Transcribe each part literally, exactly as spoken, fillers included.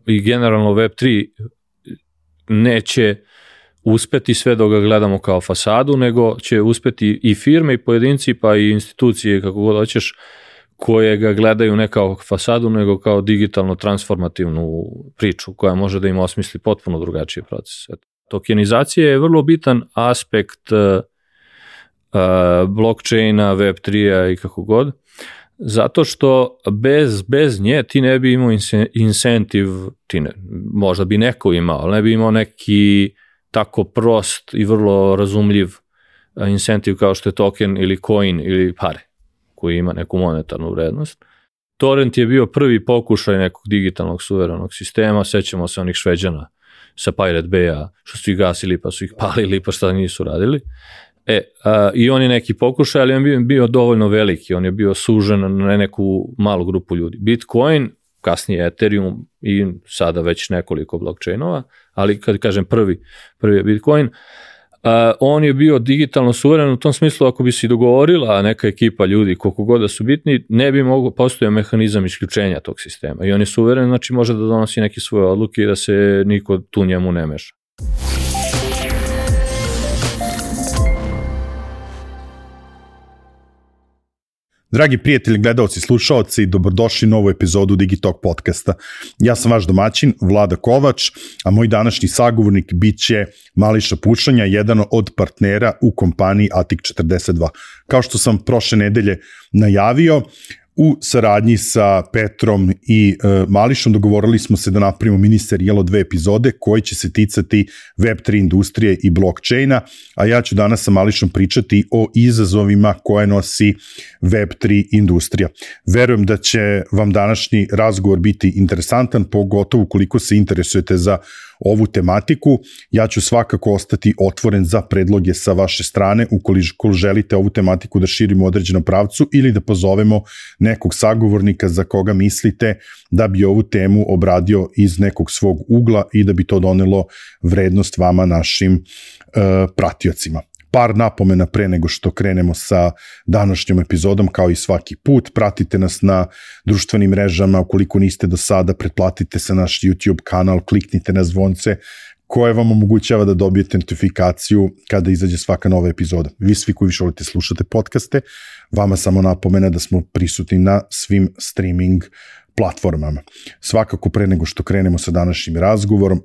i generalno Web tri neće uspeti sve dok ga gledamo kao fasadu, nego će uspeti i firme i pojedinci pa i institucije, kako god hoćeš, koje ga gledaju ne kao fasadu, nego kao digitalno transformativnu priču koja može da im osmisli potpuno drugačiji proces. Tokenizacija je vrlo bitan aspekt uh, uh, blockchaina, Web tri-a i kako god, zato što bez, bez nje ti ne bi imao incentive, ti ne, možda bi neko imao, ali ne bi imao neki tako prost i vrlo razumljiv incentive kao što je token ili coin ili pare, koji ima neku monetarnu vrednost. Torrent je bio prvi pokušaj nekog digitalnog suverenog sistema, sećamo se onih Šveđana sa Pirate Bay-a, što su ih gasili pa su ih palili pa šta nisu radili. E, a, i on je neki pokušaj, ali on je bio dovoljno veliki, on je bio sužen na neku malu grupu ljudi. Bitcoin, kasnije Ethereum i sada već nekoliko blockchainova, ali kad kažem prvi, prvi je Bitcoin, a, on je bio digitalno suveren u tom smislu ako bi se dogovorila neka ekipa ljudi koliko god da su bitni, ne bi mogo postojao mehanizam isključenja tog sistema i on je suveren, znači može da donosi neke svoje odluke i da se niko tu njemu ne meša. Dragi prijatelji, gledalci, slušaoci, dobrodošli u novu epizodu Digitalk podcasta. Ja sam vaš domaćin, Vlada Kovač, a moj današnji sagovornik bit će Mališa Pušanja, jedan od partnera u kompaniji A T I C četrdeset dva. Kao što sam prošle nedelje najavio, u saradnji sa Petrom i e, Mališom dogovorili smo se da napravimo mini serijal od dve epizode koji će se ticati Web tri industrije i blockchaina, a ja ću danas sa Mališom pričati o izazovima koje nosi Web tri industrija. Verujem da će vam današnji razgovor biti interesantan, pogotovo ukoliko se interesujete za ovu tematiku. Ja ću svakako ostati otvoren za predloge sa vaše strane ukoliko želite ovu tematiku da širimo u određenom pravcu ili da pozovemo nekog sagovornika za koga mislite da bi ovu temu obradio iz nekog svog ugla i da bi to donelo vrednost vama, našim uh, pratiocima. Par napomena pre nego što krenemo sa današnjom epizodom, kao i svaki put. Pratite nas na društvenim mrežama, ukoliko niste do sada, pretplatite se naš YouTube kanal, kliknite na zvonce koje vam omogućava da dobijete notifikaciju kada izađe svaka nova epizoda. Vi svi koji više volite slušate podcaste, vama samo napomena da smo prisutni na svim streaming platformama. Svakako pre nego što krenemo sa današnjim razgovorom,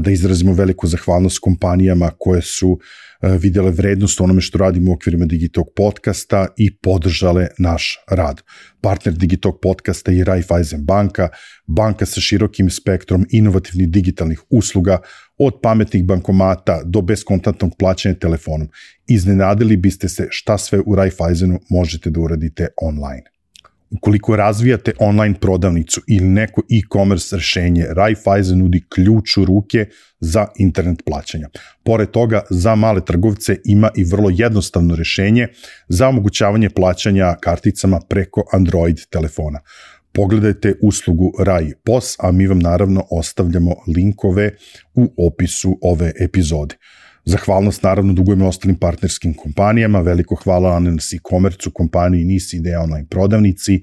da izrazimo veliku zahvalnost kompanijama koje su vidjele vrednost onome što radimo u okvirima Digitalk podcasta i podržale naš rad. Partner Digitalk podcasta je Raiffeisen banka, banka sa širokim spektrom inovativnih digitalnih usluga, od pametnih bankomata do beskontantnog plaćanja telefonom. Iznenadili biste se šta sve u Raiffeisenu možete da uradite online. Ukoliko razvijate online prodavnicu ili neko e-commerce rešenje, Raiffeisen nudi ključ u ruke za internet plaćanja. Pored toga, za male trgovce ima i vrlo jednostavno rešenje za omogućavanje plaćanja karticama preko Android telefona. Pogledajte uslugu Rai P O S, a mi vam naravno ostavljamo linkove u opisu ove epizode. Zahvalnost naravno dugujemo ostalim partnerskim kompanijama, veliko hvala Ananas e-commerce-u, kompaniji Nis Ideja online prodavnici.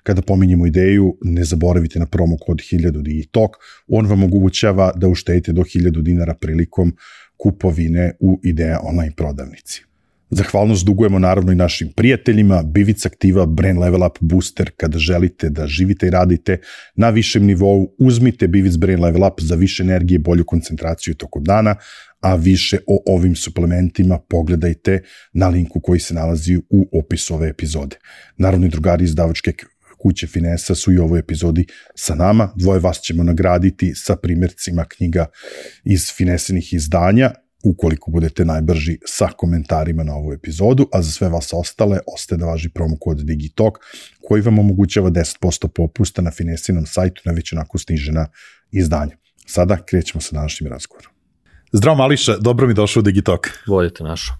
Kada pominjemo ideju, ne zaboravite na promo kod hiljadu Digitalk, on vam omogućava da uštedite do hiljadu dinara prilikom kupovine u Ideja online prodavnici. Zahvalnost dugujemo naravno i našim prijateljima, Bivic Aktiva, Brain Level Up Booster, kada želite da živite i radite na višem nivou, uzmite Bivic Brain Level Up za više energije, bolju koncentraciju tokom dana, a više o ovim suplementima pogledajte na linku koji se nalazi u opisu ove epizode. Naravno i drugari iz izdavačke kuće Finesa su i u ovoj epizodi sa nama, dvoje vas ćemo nagraditi sa primjercima knjiga iz Finesinih izdanja, ukoliko budete najbrži sa komentarima na ovu epizodu, a za sve vas ostale ostaje da važi promo kod Digitalk koji vam omogućava deset posto popusta na Finesinom sajtu na već onako snižena izdanja. Sada krećemo sa današnjim razgovorom. Zdravo Mališa, dobro mi došao u Digitalk. Volite našo.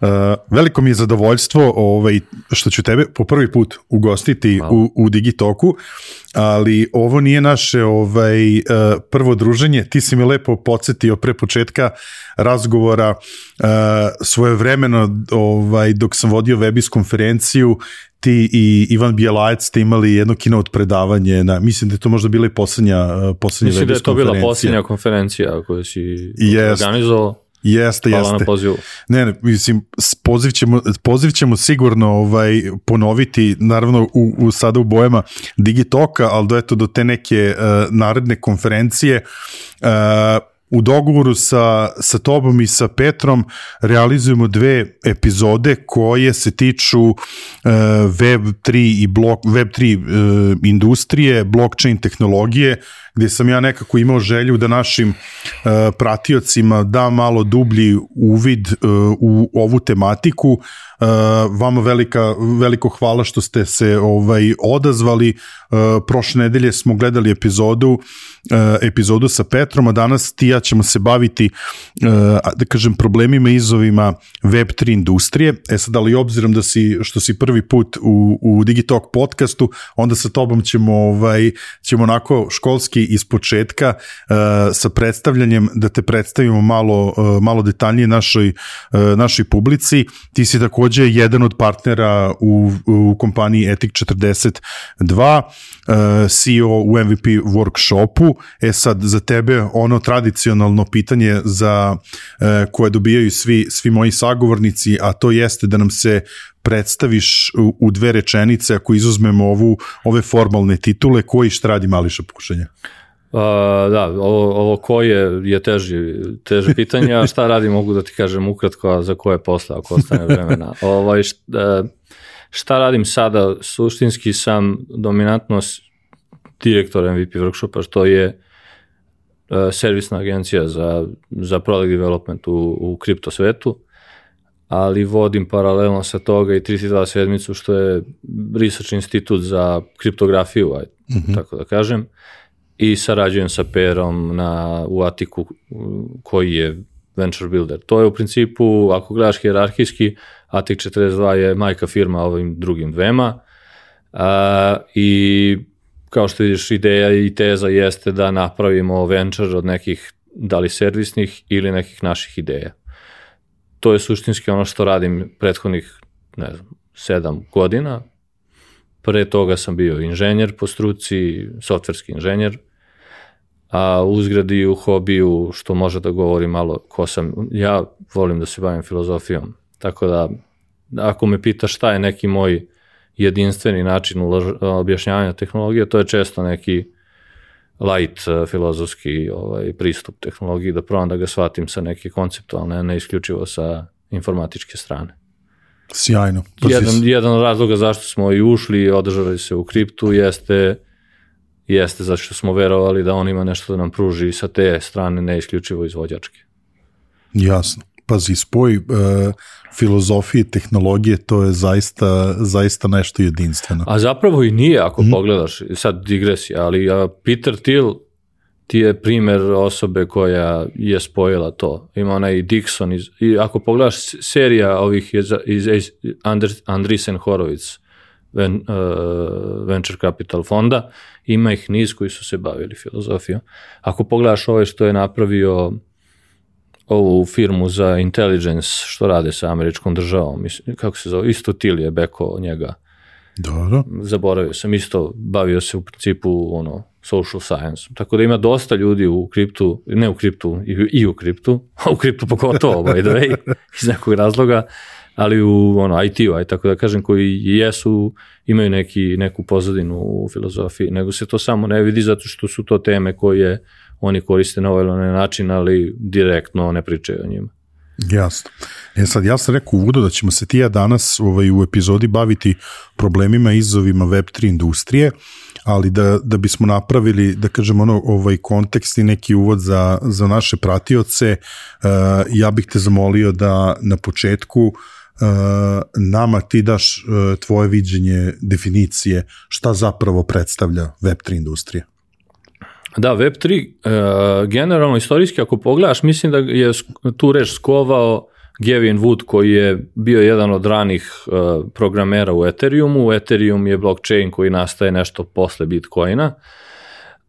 Uh, veliko mi je zadovoljstvo ovaj, što ću tebe po prvi put ugostiti u, u Digitalku. Uh, ali ovo nije naše ovaj, prvo druženje. Ti si mi lepo podsjetio pre početka razgovora svojevremeno ovaj, dok sam vodio Webis konferenciju, ti i Ivan Bijelajac ste imali jedno keynote predavanje, na, mislim da je to možda bila i posljednja, posljednja mislim Webis konferencija. Mislim da je to bila posljednja konferencija koju si Jest. organizovao. Jeste, Hvala jeste. na pozivu. Ne, ne, mislim, poziv ćemo, poziv ćemo sigurno ovaj, ponoviti, naravno u, u, sada u bojama Digitoka, ali do, eto, do te neke uh, naredne konferencije. Uh, u dogovoru sa, sa tobom i sa Petrom realizujemo dve epizode koje se tiču uh, Web tri i blok, Web tri uh, industrije, blockchain tehnologije, gde sam ja nekako imao želju da našim uh, pratiocima da malo dublji uvid uh, u ovu tematiku. Uh, vama velika, veliko hvala što ste se ovaj odazvali. Uh, prošle nedelje smo gledali epizodu uh, epizodu sa Petrom, a danas ti ja ćemo se baviti uh, da kažem problemima i izazovima Web tri industrije. E sad, ali obzirom da si, što si prvi put u, u Digitalk podcastu, onda sa tobom ćemo, ovaj, ćemo onako školski iz početka uh, sa predstavljanjem da te predstavimo malo, uh, malo detaljnije našoj, uh, našoj publici. Ti si takođe jedan od partnera u, u kompaniji Etik četrdeset dva, uh, C E O u M V P workshopu. E sad, za tebe ono tradicionalno pitanje za uh, koje dobijaju svi, svi moji sagovornici, a to jeste da nam se predstaviš u, u dve rečenice, ako izuzmemo ovu, ove formalne titule, koji šta radi Mališa Pušanja? Uh, da, ovo, ovo koje je teži, teže pitanje, a šta radi mogu da ti kažem ukratko, a za koje posle, ako ostane vremena. Ovaj, šta, šta radim sada? Suštinski sam dominantno direktor M V P workshopa, što je uh, servisna agencija za, za product development u, u kripto svetu, ali vodim paralelno sa toga i tri tri dva sedmicu, što je research institut za kriptografiju, aj, mm-hmm. tako da kažem. I sarađujem sa Perom na, u Atiku koji je venture builder. To je u principu, ako gledaš hijerarhijski, Atik četrdeset dva je majka firma ovim drugim dvema a, i kao što vidiš, ideja i teza jeste da napravimo venture od nekih, da li servisnih ili nekih naših ideja. To je suštinski ono što radim prethodnih, ne znam, sedam godina. Pre toga sam bio inženjer po struci, softverski inženjer, a uzgred i u hobiju, što može da govori malo ko sam, ja volim da se bavim filozofijom. Tako da, ako me pitaš šta je neki moj jedinstveni način objašnjavanja tehnologije, to je često neki light filozofski ovaj, pristup tehnologiji, da probam da ga shvatim sa neke konceptualne, ne isključivo sa informatičke strane. Sjajno. Jedan, jedan od razloga zašto smo i ušli i održali se u kriptu jeste, jeste zato što smo verovali da on ima nešto da nam pruži sa te strane, ne isključivo izvođačke. Jasno. Pazi, spoj e, filozofije i tehnologije, to je zaista, zaista nešto jedinstveno. A zapravo i nije, ako mm. pogledaš, sad digresija, ali a, Peter Thiel ti je primer osobe koja je spojila to. Ima onaj Dixon, iz, i ako pogledaš serija ovih iz, iz, iz Andreessen Horowitz ven, uh, Venture Capital fonda, ima ih niz koji su se bavili filozofijom. Ako pogledaš ovaj što je napravio ovu firmu za intelligence, što rade sa američkom državom, mislim, kako se zove, isto Thiel je beko njega. Dobro. Zaboravio sam, isto bavio se u principu ono, social science. Tako da ima dosta ljudi u kriptu, ne u kriptu, i, i u kriptu, a u kriptu pogotovo, by the way, iz nekog razloga, ali u ono, I T-u, aj tako da kažem, koji jesu, imaju neki, neku pozadinu u filozofiji, nego se to samo ne vidi zato što su to teme koje oni koriste na ovaj način, ali direktno ne pričaju o njima. Jasno. E sad, ja sam rekao u uvodu da ćemo se ti ja danas ovaj, u epizodi baviti problemima i izazovima Web tri industrije, ali da, da bismo napravili, da kažem, ono, ovaj kontekst i neki uvod za, za naše pratioce, uh, ja bih te zamolio da na početku uh, nama ti daš uh, tvoje viđenje definicije šta zapravo predstavlja Web tri industrija. Da, Web tri, uh, generalno istorijski, ako pogledaš, mislim da je tu reč skovao Gavin Wood koji je bio jedan od ranih uh, programera u Ethereumu. Ethereum je blockchain koji nastaje nešto posle Bitcoina,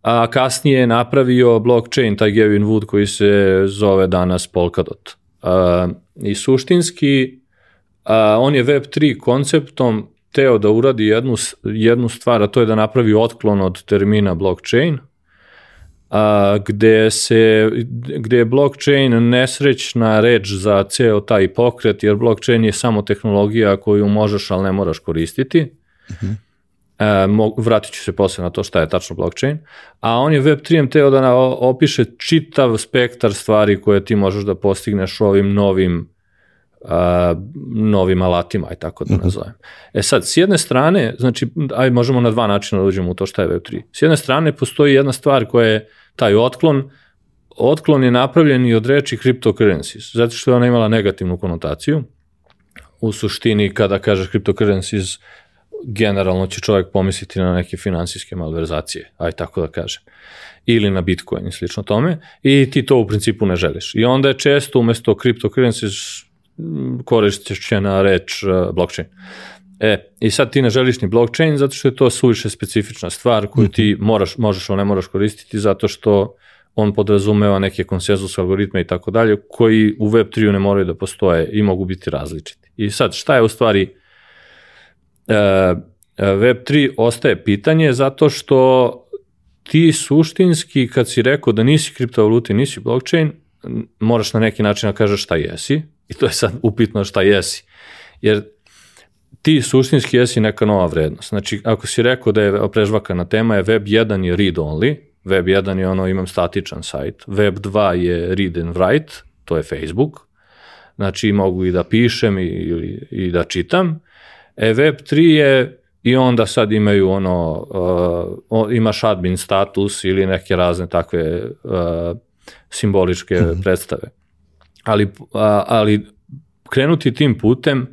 a kasnije je napravio blockchain, taj Gavin Wood koji se zove danas Polkadot. Uh, I suštinski uh, on je web tri konceptom teo da uradi jednu, jednu stvar, a to je da napravi otklon od termina blockchain, a, gde, se, gde je blockchain nesrećna reč za ceo taj pokret, jer blockchain je samo tehnologija koju možeš, ali ne moraš koristiti. Uh-huh. A, mo, vratit ću se posle na to šta je tačno blockchain. A on je web tri teo da opiše čitav spektar stvari koje ti možeš da postigneš ovim novim Uh, novim alatima, aj tako da nazovem. E sad, s jedne strane, znači, aj možemo na dva načina da uđemo u to šta je web tri. S jedne strane postoji jedna stvar koja je taj otklon. Otklon je napravljen i od reči cryptocurrencies, zato što je ona imala negativnu konotaciju. U suštini, kada kažeš cryptocurrencies, generalno će čovjek pomisliti na neke finansijske malverzacije, aj tako da kažem. Ili na Bitcoin i slično tome, i ti to u principu ne želiš. I onda je često umesto cryptocurrencies korišćena reč uh, blockchain. E, i sad ti ne želiš ni blockchain zato što je to suviše specifična stvar koju ti moraš, možeš, ali ne moraš koristiti zato što on podrazumeva neke konsenzus algoritme i tako dalje koji u web tri ne moraju da postoje i mogu biti različiti. I sad šta je u stvari uh, web tri ostaje pitanje zato što ti suštinski kad si rekao da nisi kriptovaluta i nisi blockchain, moraš na neki način da kažeš šta jesi. I to je sad upitno šta jesi. Jer ti suštinski jesi neka nova vrednost. Znači, ako si rekao da je prežvakana tema, je web jedan je read only, web jedan je ono, imam statičan sajt, web dva je read and write, to je Facebook, znači mogu i da pišem i, i, i da čitam. E, web tri je, i onda sad imaju ono, uh, imaš admin status ili neke razne takve uh, simboličke mm-hmm. predstave. Ali, a, ali krenuti tim putem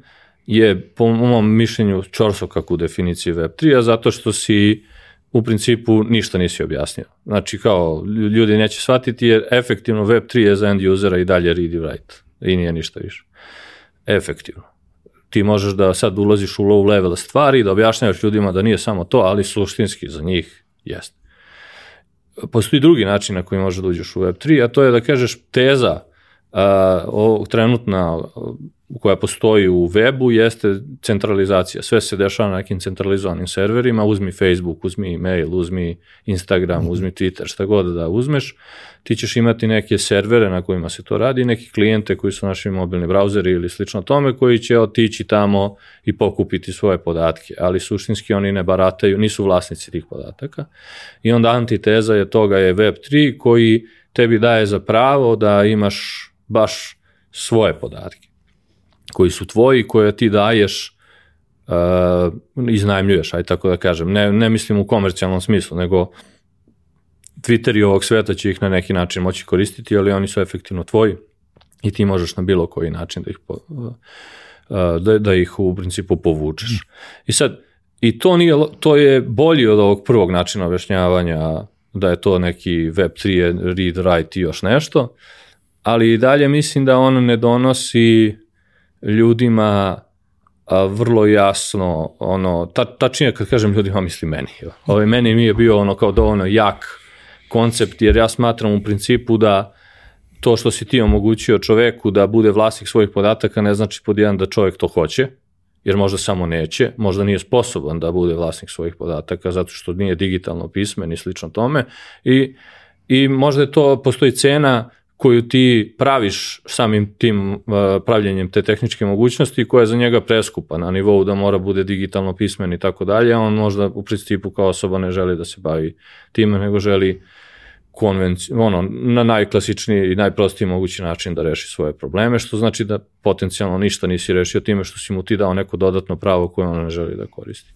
je po mom mišljenju čorsokak u definiciji web tri, a zato što si u principu ništa nisi objasnio. Znači kao ljudi neće shvatiti jer efektivno web tri je za end usera i dalje read i write i nije ništa više. Efektivno. Ti možeš da sad ulaziš u low level stvari, da objašnjavaš ljudima da nije samo to, ali suštinski za njih jeste. Postoji drugi način na koji možeš da uđeš u web tri, a to je da kažeš teza Uh, o, trenutna koja postoji u webu jeste centralizacija. Sve se dešava na nekim centralizovanim serverima, uzmi Facebook, uzmi e-mail, uzmi Instagram, uzmi Twitter, šta god da uzmeš, ti ćeš imati neke servere na kojima se to radi, neki klijente koji su naši mobilni brauzeri ili slično tome, koji će otići tamo i pokupiti svoje podatke, ali suštinski oni ne barataju, nisu vlasnici tih podataka. I onda antiteza je toga je web tri koji tebi daje za pravo da imaš baš svoje podatke, koji su tvoji, koje ti daješ, uh, iznajmljuješ, aj tako da kažem. Ne, ne mislim u komercijalnom smislu, nego Twitter i ovog sveta će ih na neki način moći koristiti, ali oni su efektivno tvoji i ti možeš na bilo koji način da ih, po, uh, da, da ih u principu povučeš. I sad, i to, nije, to je bolji od ovog prvog načina objašnjavanja da je to neki web tri, read, write i još nešto, ali i dalje mislim da on ne donosi ljudima a, vrlo jasno, ono, ta, tačnije kad kažem ljudima, mislim meni. Ovaj, meni mi je bio ono kao dovoljno jak koncept, jer ja smatram u principu da to što si ti omogućio čoveku da bude vlasnik svojih podataka ne znači pod jedan da čovek to hoće, jer možda samo neće, možda nije sposoban da bude vlasnik svojih podataka zato što nije digitalno pismen i slično tome i, i možda je to, postoji cena koju ti praviš samim tim uh, pravljenjem te tehničke mogućnosti koja je za njega preskupa na nivou da mora bude digitalno pismen i tako dalje, on možda u principu kao osoba ne želi da se bavi time, nego želi konvenci, ono, na najklasičniji i najprostiji mogući način da reši svoje probleme, što znači da potencijalno ništa nisi rešio time što si mu ti dao neko dodatno pravo koje on ne želi da koristi.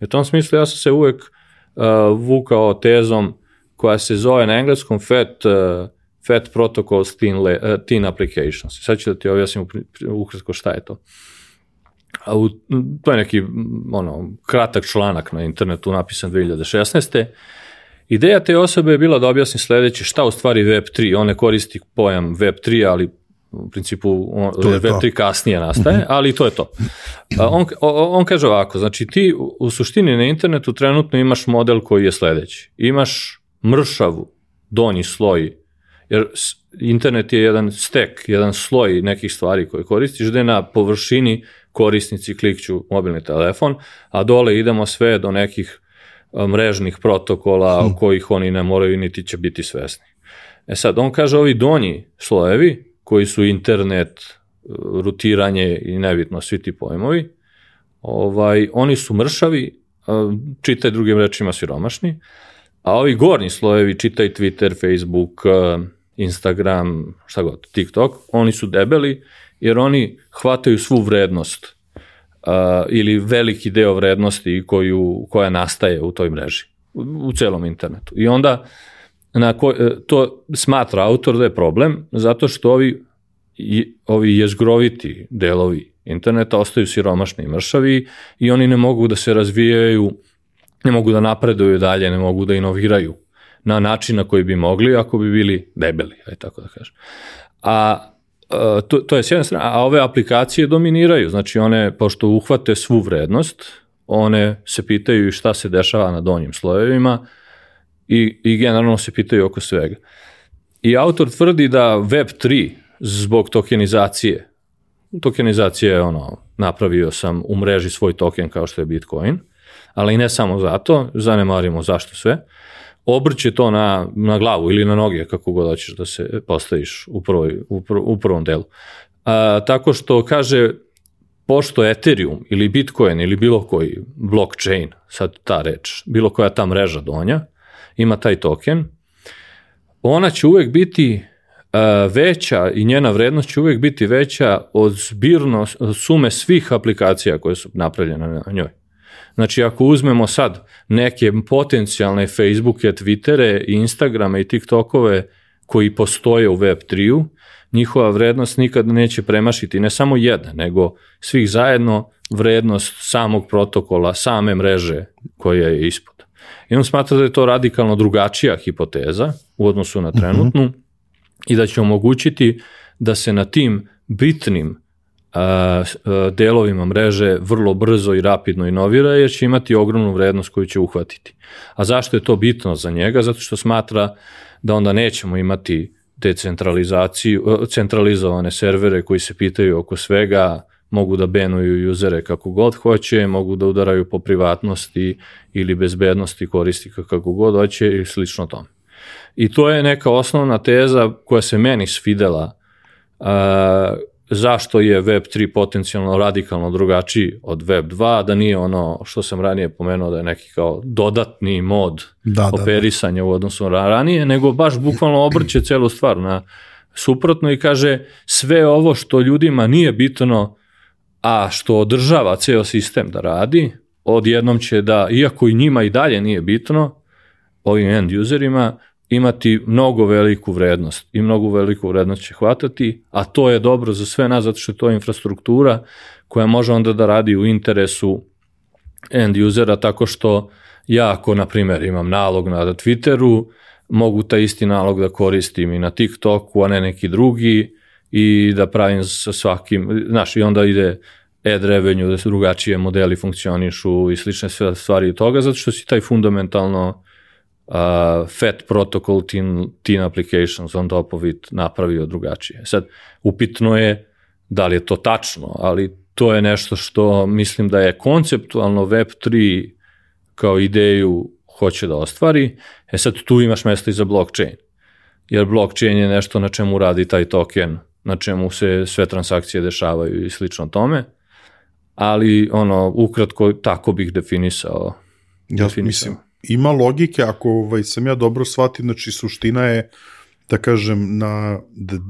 U tom smislu ja sam se uvek uh, vukao tezom koja se zove na engleskom F A T, uh, F A T Protocols Thin, uh, Thin Applications. Sad ću da ti objasnim ukratko šta je to. A u, to je neki ono, kratak članak na internetu napisan dve hiljade šesnaeste. Ideja te osobe je bila da objasni sledeće, šta u stvari web tri, on ne koristi pojam web tri, ali u principu web tri kasnije nastaje, ali to je to. On, on kaže ovako, znači ti u suštini na internetu trenutno imaš model koji je sledeći. Imaš mršavu donji sloj, jer internet je jedan stek, jedan sloj nekih stvari koje koristiš, gde na površini korisnici klikću mobilni telefon, a dole idemo sve do nekih mrežnih protokola o kojih oni ne moraju niti će biti svesni. E sad, on kaže ovi donji slojevi, koji su internet, rutiranje i nebitno svi ti pojmovi, ovaj, oni su mršavi, čitaj drugim rečima siromašni, a ovi gornji slojevi, čitaj Twitter, Facebook, Instagram, šta god, TikTok, oni su debeli jer oni hvataju svu vrednost uh, ili veliki deo vrednosti koju, koja nastaje u toj mreži, u, u celom internetu. I onda na ko, to smatra autor da je problem, zato što ovi, i, ovi jezgroviti delovi interneta ostaju siromašni i mršavi i oni ne mogu da se razvijaju, ne mogu da napreduju dalje, ne mogu da inoviraju na način na koji bi mogli ako bi bili debeli, aj tako da kažem. A to, to je s jedne strane, a ove aplikacije dominiraju, znači one, pošto uhvate svu vrednost, one se pitaju šta se dešava na donjim slojevima i, i generalno se pitaju oko svega. I autor tvrdi da web tri zbog tokenizacije, tokenizacija je ono, napravio sam u mreži svoj token kao što je Bitcoin, ali ne samo zato, zanemarimo zašto sve, obrće to na, na glavu ili na noge, kako god hoćeš da se postaviš u, prvoj, u, prv, u prvom delu. A, tako što kaže, pošto Ethereum ili Bitcoin ili bilo koji blockchain, sad ta reč, bilo koja ta mreža donja, ima taj token, ona će uvek biti a, veća i njena vrednost će uvek biti veća od zbirno sume svih aplikacija koje su napravljene na njoj. Znači, ako uzmemo sad neke potencijalne Facebooke, Twittere, Instagrame i TikTokove koji postoje u web tri-u, njihova vrednost nikad neće premašiti ne samo jedna, nego svih zajedno vrednost samog protokola, same mreže koja je ispod. I on smatra da je to radikalno drugačija hipoteza u odnosu na trenutnu uh-huh. i da će omogućiti da se na tim bitnim delovima mreže vrlo brzo i rapidno inovira, jer će imati ogromnu vrednost koju će uhvatiti. A zašto je to bitno za njega? Zato što smatra da onda nećemo imati decentralizaciju, centralizovane servere koji se pitaju oko svega, mogu da benuju usere kako god hoće, mogu da udaraju po privatnosti ili bezbednosti korisnika kako god hoće i slično tome. I to je neka osnovna teza koja se meni svidela a, zašto je web tri potencijalno radikalno drugačiji od web dva, da nije ono što sam ranije pomenuo da je neki kao dodatni mod da, operisanja da, da. u odnosu na ranije, nego baš bukvalno obrće celu stvar na suprotno i kaže sve ovo što ljudima nije bitno, a što održava ceo sistem da radi, odjednom će da, iako i njima i dalje nije bitno, ovim end userima, imati mnogo veliku vrednost i mnogo veliku vrednost će hvatati, a to je dobro za sve nas, zato što je to infrastruktura koja može onda da radi u interesu end usera, tako što ja ako, na primjer, imam nalog na Twitteru, mogu taj isti nalog da koristim i na TikToku, a ne neki drugi, i da pravim sa svakim, znaš, i onda ide ad revenue, da se drugačije modeli funkcionišu i slične stvari od toga, zato što si taj fundamentalno Uh, Fat Protocol Tin, tin Applications on top of it napravio drugačije. Sad, upitno je da li je to tačno, ali to je nešto što mislim da je konceptualno web tri kao ideju hoće da ostvari. E sad, tu imaš mesto i za blockchain, jer blockchain je nešto na čemu radi taj token, na čemu se sve transakcije dešavaju i slično tome, ali ono, ukratko, tako bih definisao. Ja definisao. Mislim, ima logike, ako ovaj, sam ja dobro shvatio, znači suština je, da kažem, na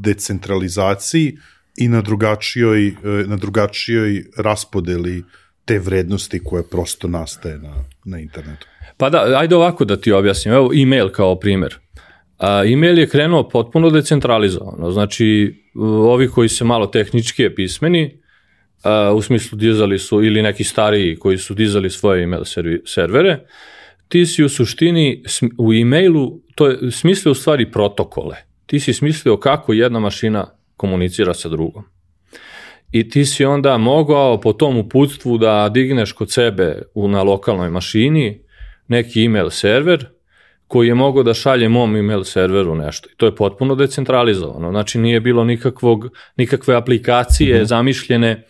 decentralizaciji i na drugačijoj, na drugačijoj raspodeli te vrednosti koje prosto nastaje na, na internetu. Pa da, ajde ovako da ti objasnim. Evo e-mail kao primjer. A, e-mail je krenuo potpuno decentralizovano. Znači, ovi koji se malo tehnički je pismeni, a, u smislu dizali su, ili neki stariji koji su dizali svoje e-mail servere, ti si u suštini u e-mailu, to je smislio u stvari protokole. Ti si smislio kako jedna mašina komunicira sa drugom. I ti si onda mogao po tom uputstvu da digneš kod sebe u, na lokalnoj mašini neki email server koji je mogao da šalje mom email serveru nešto. I to je potpuno decentralizovano. Znači nije bilo nikakvog, nikakve aplikacije mm-hmm. zamišljene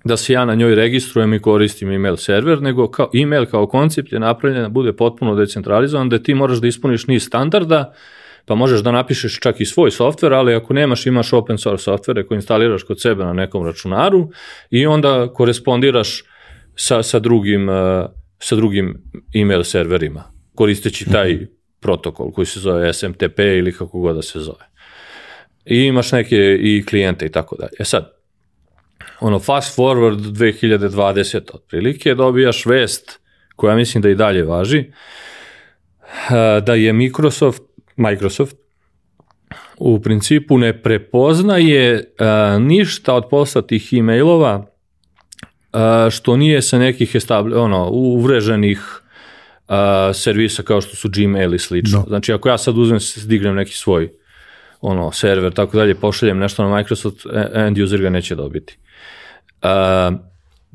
da se ja na njoj registrujem i koristim email server, nego kao, email kao koncept je napravljen da bude potpuno decentralizovan, da ti moraš da ispuniš niz standarda, pa možeš da napišeš čak i svoj softver, ali ako nemaš, imaš open source softvere koje instaliraš kod sebe na nekom računaru i onda korespondiraš sa, sa, drugim, sa drugim email serverima, koristeći taj protokol koji se zove S M T P ili kako god da se zove. I imaš neke i klijente i tako dalje. E sad, ono fast forward dve hiljade dvadesete otprilike dobijaš vest koja mislim da i dalje važi, da je Microsoft, Microsoft u principu ne prepoznaje ništa od poslatih e-mailova što nije sa nekih establi, ono, uvreženih servisa kao što su Gmail i slično. No. Znači ako ja sad uzmem, dignem neki svoj ono, server, tako dalje, pošaljem nešto na Microsoft, end user ga neće dobiti. Uh,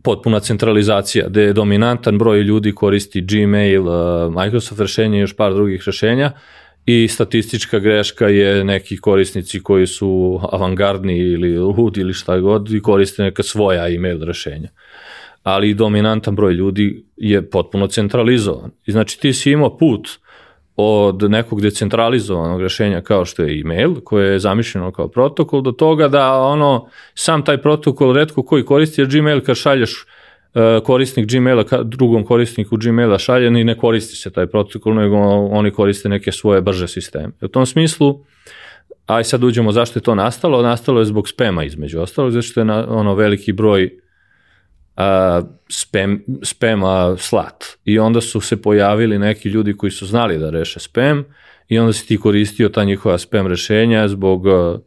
potpuna centralizacija, gde je dominantan broj ljudi koristi Gmail, uh, Microsoft rešenje i još par drugih rešenja i statistička greška je neki korisnici koji su avangardni ili ludi ili šta god i koriste neka svoja email rešenja. Ali dominantan broj ljudi je potpuno centralizovan. I znači ti si imao put od nekog decentralizovanog rešenja kao što je email, koje je zamišljeno kao protokol, do toga da ono, sam taj protokol retko koji koristi, jer Gmail kad šalješ uh, korisnik Gmaila drugom korisniku Gmaila šalje i ne koristi se taj protokol, nego oni koriste neke svoje brže sisteme. U tom smislu, aj sad uđemo zašto je to nastalo, nastalo je zbog spema između ostalog, zato što je na, ono veliki broj Uh, spam, spama slat. I onda su se pojavili neki ljudi koji su znali da reše spam i onda si ti koristio ta njihova spam rešenja zbog uh,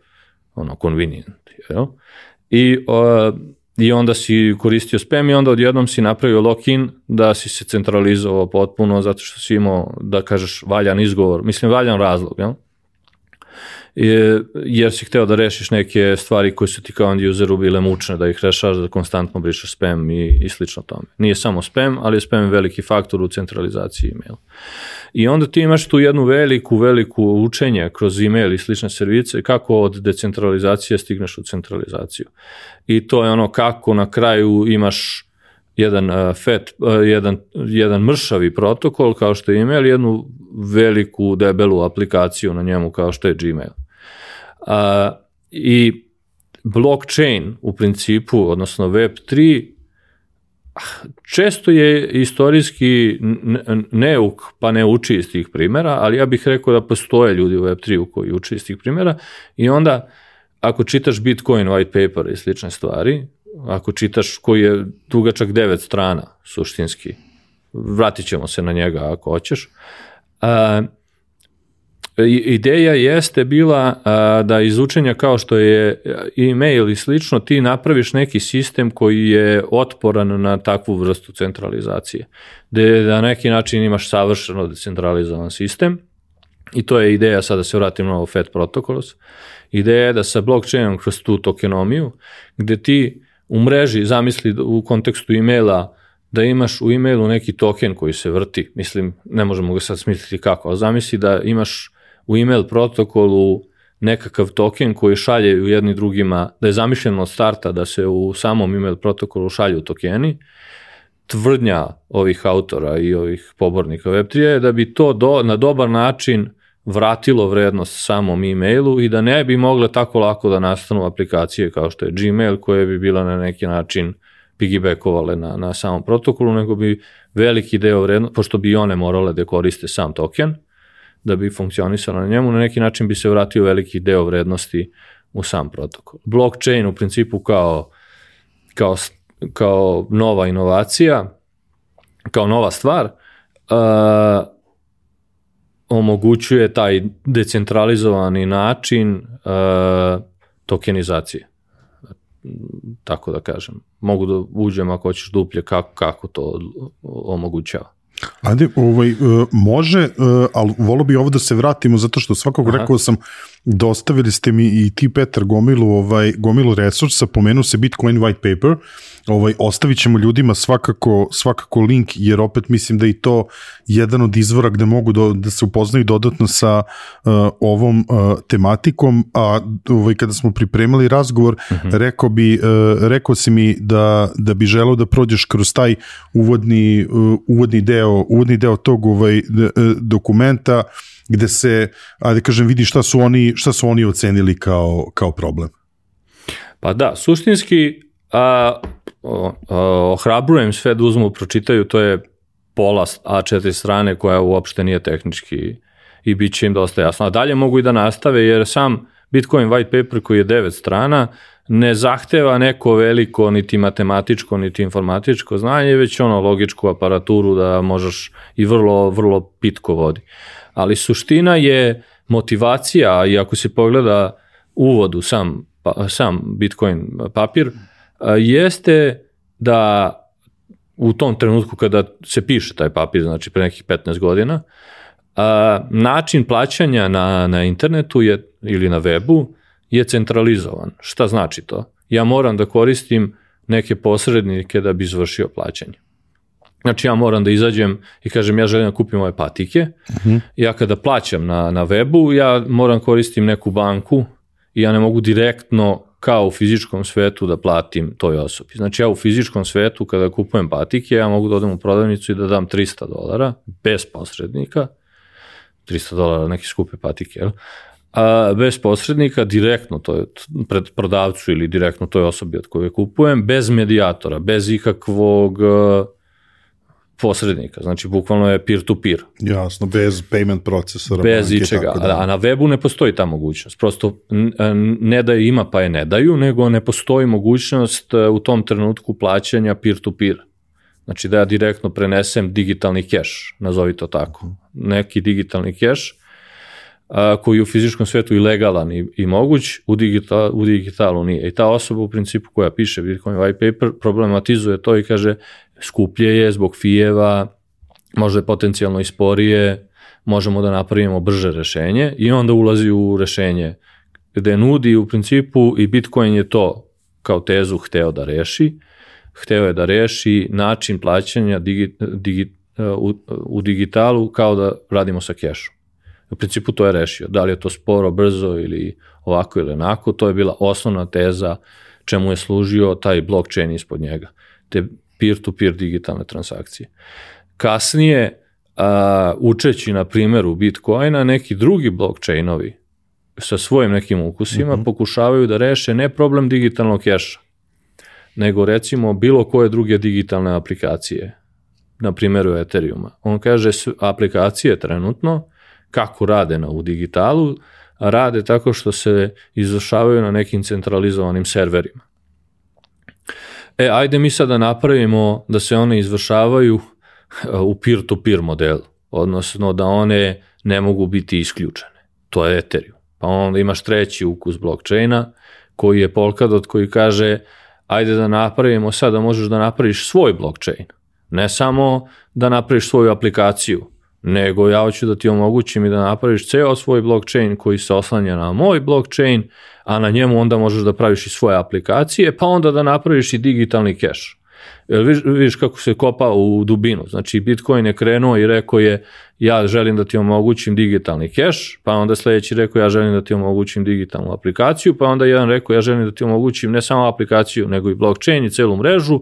ono, convenient. Jel? I, uh, I onda si koristio spam i onda odjednom si napravio lock-in da si se centralizovao potpuno zato što si imao, da kažeš, valjan izgovor, mislim valjan razlog, jel? Jer si hteo da rešiš neke stvari koje su ti kao end useru bile mučne, da ih rešaš, da konstantno brišeš spam i, i slično tome. Nije samo spam, ali je spam veliki faktor u centralizaciji emaila. I onda ti imaš tu jednu veliku, veliku učenje kroz email i slične servise, kako od decentralizacije stigneš u centralizaciju. I to je ono kako na kraju imaš jedan uh, fet, uh, jedan, jedan mršavi protokol kao što je email, jednu veliku debelu aplikaciju na njemu kao što je Gmail. Uh, I blockchain u principu, odnosno web tri, često je istorijski neuk, pa ne uči iz tih primjera, ali ja bih rekao da postoje ljudi u web tri koji uči iz tih primjera i onda ako čitaš Bitcoin white paper i slične stvari, ako čitaš koji je dugačak devet strana suštinski, vratit ćemo se na njega ako hoćeš, a, ideja jeste bila a, da iz učenja kao što je e-mail i slično, ti napraviš neki sistem koji je otporan na takvu vrstu centralizacije, gde na neki način imaš savršeno decentralizovan sistem i to je ideja, sada se vratim na ovo F E T protokols, ideja je da sa blockchainom kroz tu tokenomiju, gde ti u mreži, zamisli u kontekstu e-maila, da imaš u e-mailu neki token koji se vrti, mislim, ne možemo ga sad smisliti kako, ali zamisli da imaš u e-mail protokolu nekakav token koji šalje jedni drugima, da je zamišljeno od starta da se u samom e-mail protokolu šalju tokeni, tvrdnja ovih autora i ovih pobornika web tri je da bi to do, na dobar način vratilo vrednost samom e-mailu i da ne bi mogle tako lako da nastanu aplikacije kao što je Gmail, koje bi bila na neki način piggybackovale na, na samom protokolu, nego bi veliki deo vrednosti, pošto bi one morale da koriste sam token, da bi funkcionisalo na njemu, na neki način bi se vratio veliki deo vrednosti u sam protokol. Blockchain u principu kao, kao, kao nova inovacija, kao nova stvar, uh, omogućuje taj decentralizovani način uh, tokenizacije. Tako da kažem. Mogu da uđem ako hoćeš duplje kako, kako to omogućava. Ajde, ovaj, može, ali volio bi ovo da se vratimo zato što svakog Aha. rekao sam dostavili ste mi i ti, Petar, gomilu, ovaj, gomilu resursa, pomenu se Bitcoin white paper, ovaj, ostavit ćemo ljudima svakako, svakako link, jer opet mislim da je to jedan od izvora gde mogu do, da se upoznaju dodatno sa uh, ovom uh, tematikom, a ovaj, kada smo pripremali razgovor, uh-huh. rekao, bi, uh, rekao si mi da, da bi želeo da prođeš kroz taj uvodni, uh, uvodni, deo, uvodni deo tog ovaj, dokumenta, gde se, ajde kažem, vidi šta su oni, šta su oni ocenili kao, kao problem. Pa da, suštinski a, o, o, ohrabrujem sve da uzmu, pročitaju, to je pola A četiri strane koja uopšte nije tehnički i bit će im dosta jasno. A dalje mogu i da nastave, jer sam Bitcoin white paper koji je devet strana ne zahteva neko veliko niti matematičko niti informatičko znanje, već ono logičku aparaturu da možeš i vrlo, vrlo pitko vodi. Ali suština je motivacija, i ako se pogleda uvod u sam, sam Bitcoin papir, jeste da u tom trenutku kada se piše taj papir, znači pre nekih petnaest godina, način plaćanja na, na internetu je, ili na webu je centralizovan. Šta znači to? Ja moram da koristim neke posrednike da bi izvršio plaćanje. Znači ja moram da izađem i kažem ja želim da kupim ove patike, uh-huh. ja kada plaćam na, na webu, ja moram koristim neku banku i ja ne mogu direktno kao u fizičkom svetu da platim toj osobi. Znači ja u fizičkom svetu kada kupujem patike, ja mogu da odem u prodavnicu i da dam trista dolara bez posrednika, trista dolara neke skupe patike, jel? A bez posrednika, direktno to je pred prodavcu ili direktno toj osobi od koje kupujem, bez medijatora, bez ikakvog posrednika, znači bukvalno je peer-to-peer. Jasno, bez payment procesora. Bez ičega, da. A na webu ne postoji ta mogućnost. Prosto ne da je ima pa je ne daju, nego ne postoji mogućnost u tom trenutku plaćanja peer-to-peer. Znači da ja direktno prenesem digitalni keš, nazovi to tako. Neki digitalni keš koji je u fizičkom svetu i legalan i, i moguć, u, digital, u digitalu nije. I ta osoba u principu koja piše Bitcoin white paper problematizuje to i kaže skuplje je zbog fijeva, možda je potencijalno i sporije, možemo da napravimo brže rešenje i onda ulazi u rešenje gde nudi u principu i Bitcoin je to kao tezu hteo da reši, hteo je da reši način plaćanja digi, digi, u, u digitalu kao da radimo sa kešom. U principu to je rešio. Da li je to sporo, brzo ili ovako ili onako, to je bila osnovna teza čemu je služio taj blockchain ispod njega. Te peer-to-peer digitalne transakcije. Kasnije, a, učeći na primjeru Bitcoina, neki drugi blockchainovi sa svojim nekim ukusima uh-huh. pokušavaju da reše ne problem digitalnog keša, nego recimo bilo koje druge digitalne aplikacije, na primjeru Ethereuma. On kaže aplikacije trenutno kako rade na, u digitalu, rade tako što se izvršavaju na nekim centralizovanim serverima. E, ajde mi sada napravimo da se one izvršavaju u peer-to-peer modelu, odnosno da one ne mogu biti isključene. To je Ethereum. Pa onda imaš treći ukus blockchaina, koji je Polkadot, koji kaže ajde da napravimo sad da možeš da napraviš svoj blockchain. Ne samo da napraviš svoju aplikaciju, nego ja hoću da ti omogućim i da napraviš ceo svoj blockchain koji se oslanja na moj blockchain, a na njemu onda možeš da praviš i svoje aplikacije, pa onda da napraviš i digitalni keš. Viš, viš kako se kopa u dubinu. Znači Bitcoin je krenuo i rekao je ja želim da ti omogućim digitalni keš, pa onda sljedeći rekao ja želim da ti omogućim digitalnu aplikaciju, pa onda jedan rekao ja želim da ti omogućim ne samo aplikaciju nego i blockchain i celu mrežu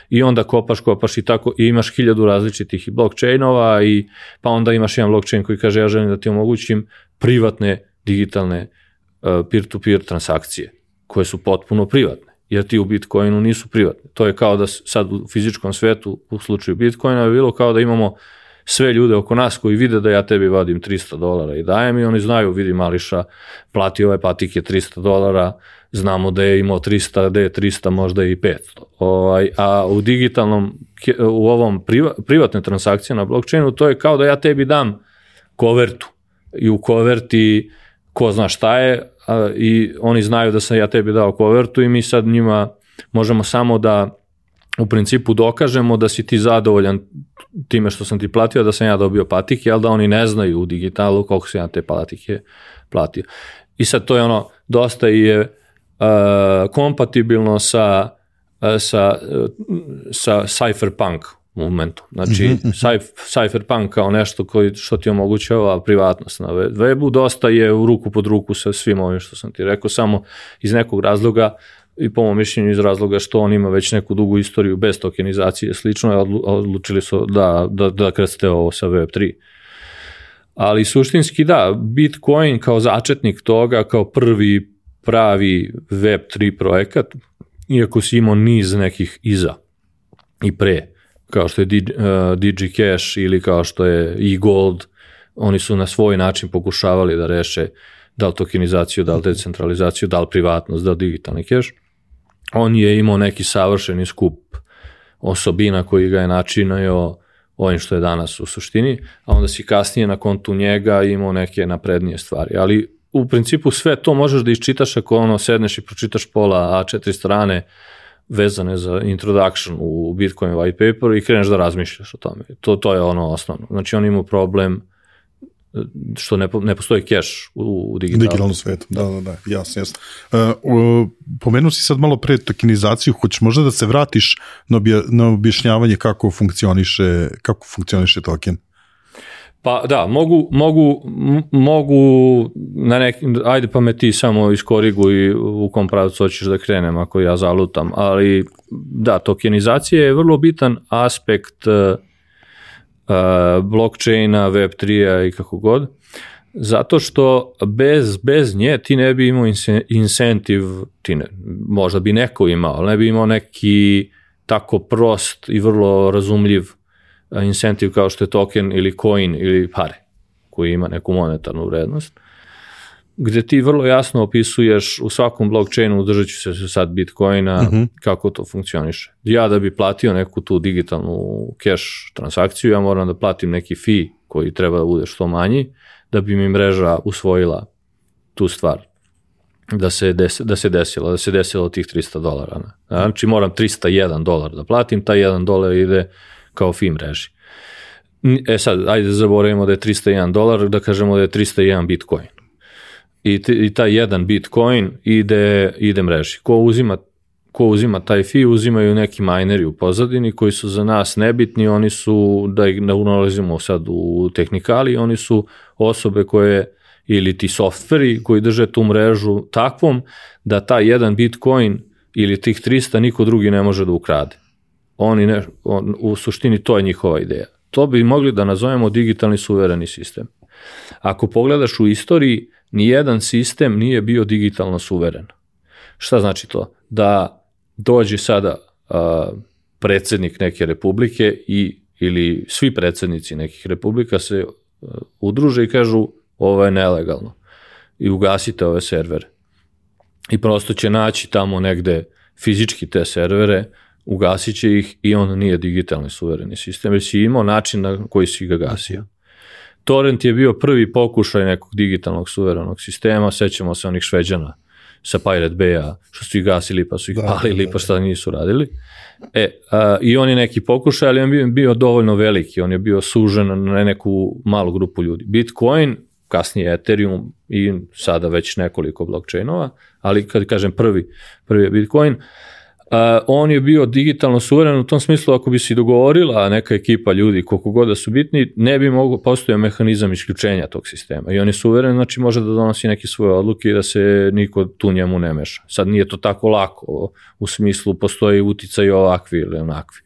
i onda kopaš, kopaš i tako i imaš hiljadu različitih blockchainova i pa onda imaš jedan blockchain koji kaže ja želim da ti omogućim privatne digitalne uh, peer-to-peer transakcije koje su potpuno privatne. Jer ti u Bitcoinu nisu privatni. To je kao da sad u fizičkom svetu, u slučaju Bitcoina, je bilo kao da imamo sve ljude oko nas koji vide da ja tebi vadim trista dolara i dajem i oni znaju, vidi Mališa, plati ove patike trista dolara, znamo da je imao trista, da je trista, možda i petsto. Ovaj, a u digitalnom, u ovom priva, privatne transakcije na blockchainu, to je kao da ja tebi dam kovertu i u koverti ko zna šta je, a, i oni znaju da sam ja tebi dao kovertu i mi sad njima možemo samo da u principu dokažemo da si ti zadovoljan time što sam ti platio, da sam ja dobio patike, ali da oni ne znaju u digitalu koliko sam ja te patike platio. I sad to je ono, dosta je uh, kompatibilno sa, uh, sa, uh, sa cypherpunk momentu. Znači, mm-hmm. cypherpunk kao nešto koji, što ti omogućava privatnost na webu, dosta je u ruku pod ruku sa svim ovim što sam ti rekao, samo iz nekog razloga i po mom mišljenju iz razloga što on ima već neku dugu istoriju bez tokenizacije slično, a odlučili su da, da, da krste ovo sa web tri. Ali suštinski da, Bitcoin kao začetnik toga, kao prvi pravi web tri projekat, iako si imao niz nekih iza i pre, kao što je DigiCash ili kao što je eGold, oni su na svoj način pokušavali da reše da li tokenizaciju, da li decentralizaciju, da li privatnost, da li digitalni cash. On je imao neki savršeni skup osobina koji ga je načinio ovim što je danas u suštini, a onda si kasnije na kontu njega imao neke naprednije stvari. Ali u principu sve to možeš da iščitaš ako ono sedneš i pročitaš pola A četiri strane vezane za introduction u Bitcoin white paper i kreneš da razmišljaš o tome. To, to je ono osnovno. Znači on ima problem što ne, ne postoji cache u, u digitalnom. digitalnom svetu. Da, da, da, jasno, jasno. Uh, pomenuo si sad malo pre tokenizaciju, hoćeš možda da se vratiš na, obja, na objašnjavanje kako funkcioniše, kako funkcioniše token? Pa da, mogu, mogu, mogu na neki, ajde pa me ti samo iskoriguj u kom pravcu hoćeš da krenem ako ja zalutam, ali da, tokenizacija je vrlo bitan aspekt uh, blockchaina, web tri-a i kako god, zato što bez, bez nje ti ne bi imao incentiv, ti ne, možda bi neko imao, ali ne bi imao neki tako prost i vrlo razumljiv incentiv kao što je token ili coin ili pare, koji ima neku monetarnu vrednost, gde ti vrlo jasno opisuješ u svakom blockchainu, držat ću se sad Bitcoina, uh-huh. kako to funkcioniše. Ja da bi platio neku tu digitalnu cash transakciju, ja moram da platim neki fee koji treba da bude što manji, da bi mi mreža usvojila tu stvar. Da se, des, da se desilo, da se desilo tih tristo dolara. Ne? Znači moram tristo jedan dolar da platim, taj jedan dolar ide kao fee mreži. E sad, ajde zaboravimo da je tristo jedan dolar, da kažemo da je tristo jedan Bitcoin. I, t, i taj jedan Bitcoin ide, ide mreži. Ko uzima, ko uzima taj fee, uzimaju neki mineri u pozadini koji su za nas nebitni, oni su, da ih ne unalazimo sad u tehnikali, oni su osobe koje, ili ti softveri koji drže tu mrežu takvom da taj jedan Bitcoin ili tih tristo niko drugi ne može da ukrade. Oni ne, on, u suštini to je njihova ideja. To bi mogli da nazovemo digitalni suvereni sistem. Ako pogledaš u istoriji, nijedan sistem nije bio digitalno suveren. Šta znači to? Da dođe sada a, predsjednik neke republike i, ili svi predsjednici nekih republika se a, udruže i kažu ovo je nelegalno i ugasite ove servere. I prosto će naći tamo negde fizički te servere, ugasit će ih i on nije digitalni suvereni sistem, jer si imao način na koji si ga gasio. Torrent je bio prvi pokušaj nekog digitalnog suverenog sistema, sećamo se onih Šveđana sa Pirate Bay-a, što su ih gasili pa su ih palili pa šta nisu radili. E, a, i on je neki pokušaj, ali on je bio dovoljno veliki, on je bio sužen na neku malu grupu ljudi. Bitcoin, kasnije Ethereum i sada već nekoliko blockchainova, ali kad kažem prvi, prvi je Bitcoin, Uh, on je bio digitalno suveren u tom smislu ako bi se dogovorila neka ekipa ljudi koliko god da su bitni, ne bi mogo postojao mehanizam isključenja tog sistema i on je suveren, znači može da donosi neke svoje odluke i da se niko tu njemu ne meša. Sad nije to tako lako, u smislu postoji uticaj ovakvi ili onakvi.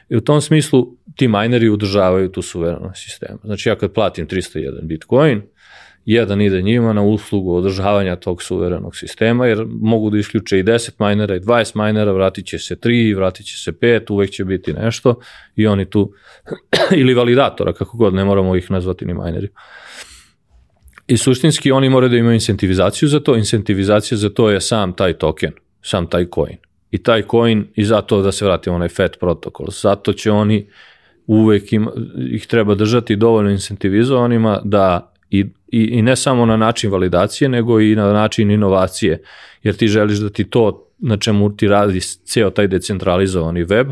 I u tom smislu ti mineri udržavaju tu suverenost sistema. Znači ja kad platim tristo jedan Bitcoin, jedan ide njima na uslugu održavanja tog suverenog sistema, jer mogu da isključe i deset minera i dvadeset minera, vratit će se tri, vratit će se pet, uvek će biti nešto i oni tu, ili validatora, kako god, ne moramo ih nazvati ni mineri. I suštinski oni moraju da imaju incentivizaciju za to, incentivizacija za to je sam taj token, sam taj coin. I taj coin, i zato da se vratimo onaj F E T protokol, zato će oni uvek ima, ih treba držati dovoljno incentivizovanima da I, i, i ne samo na način validacije, nego i na način inovacije, jer ti želiš da ti to na čemu ti radi ceo taj decentralizovani web,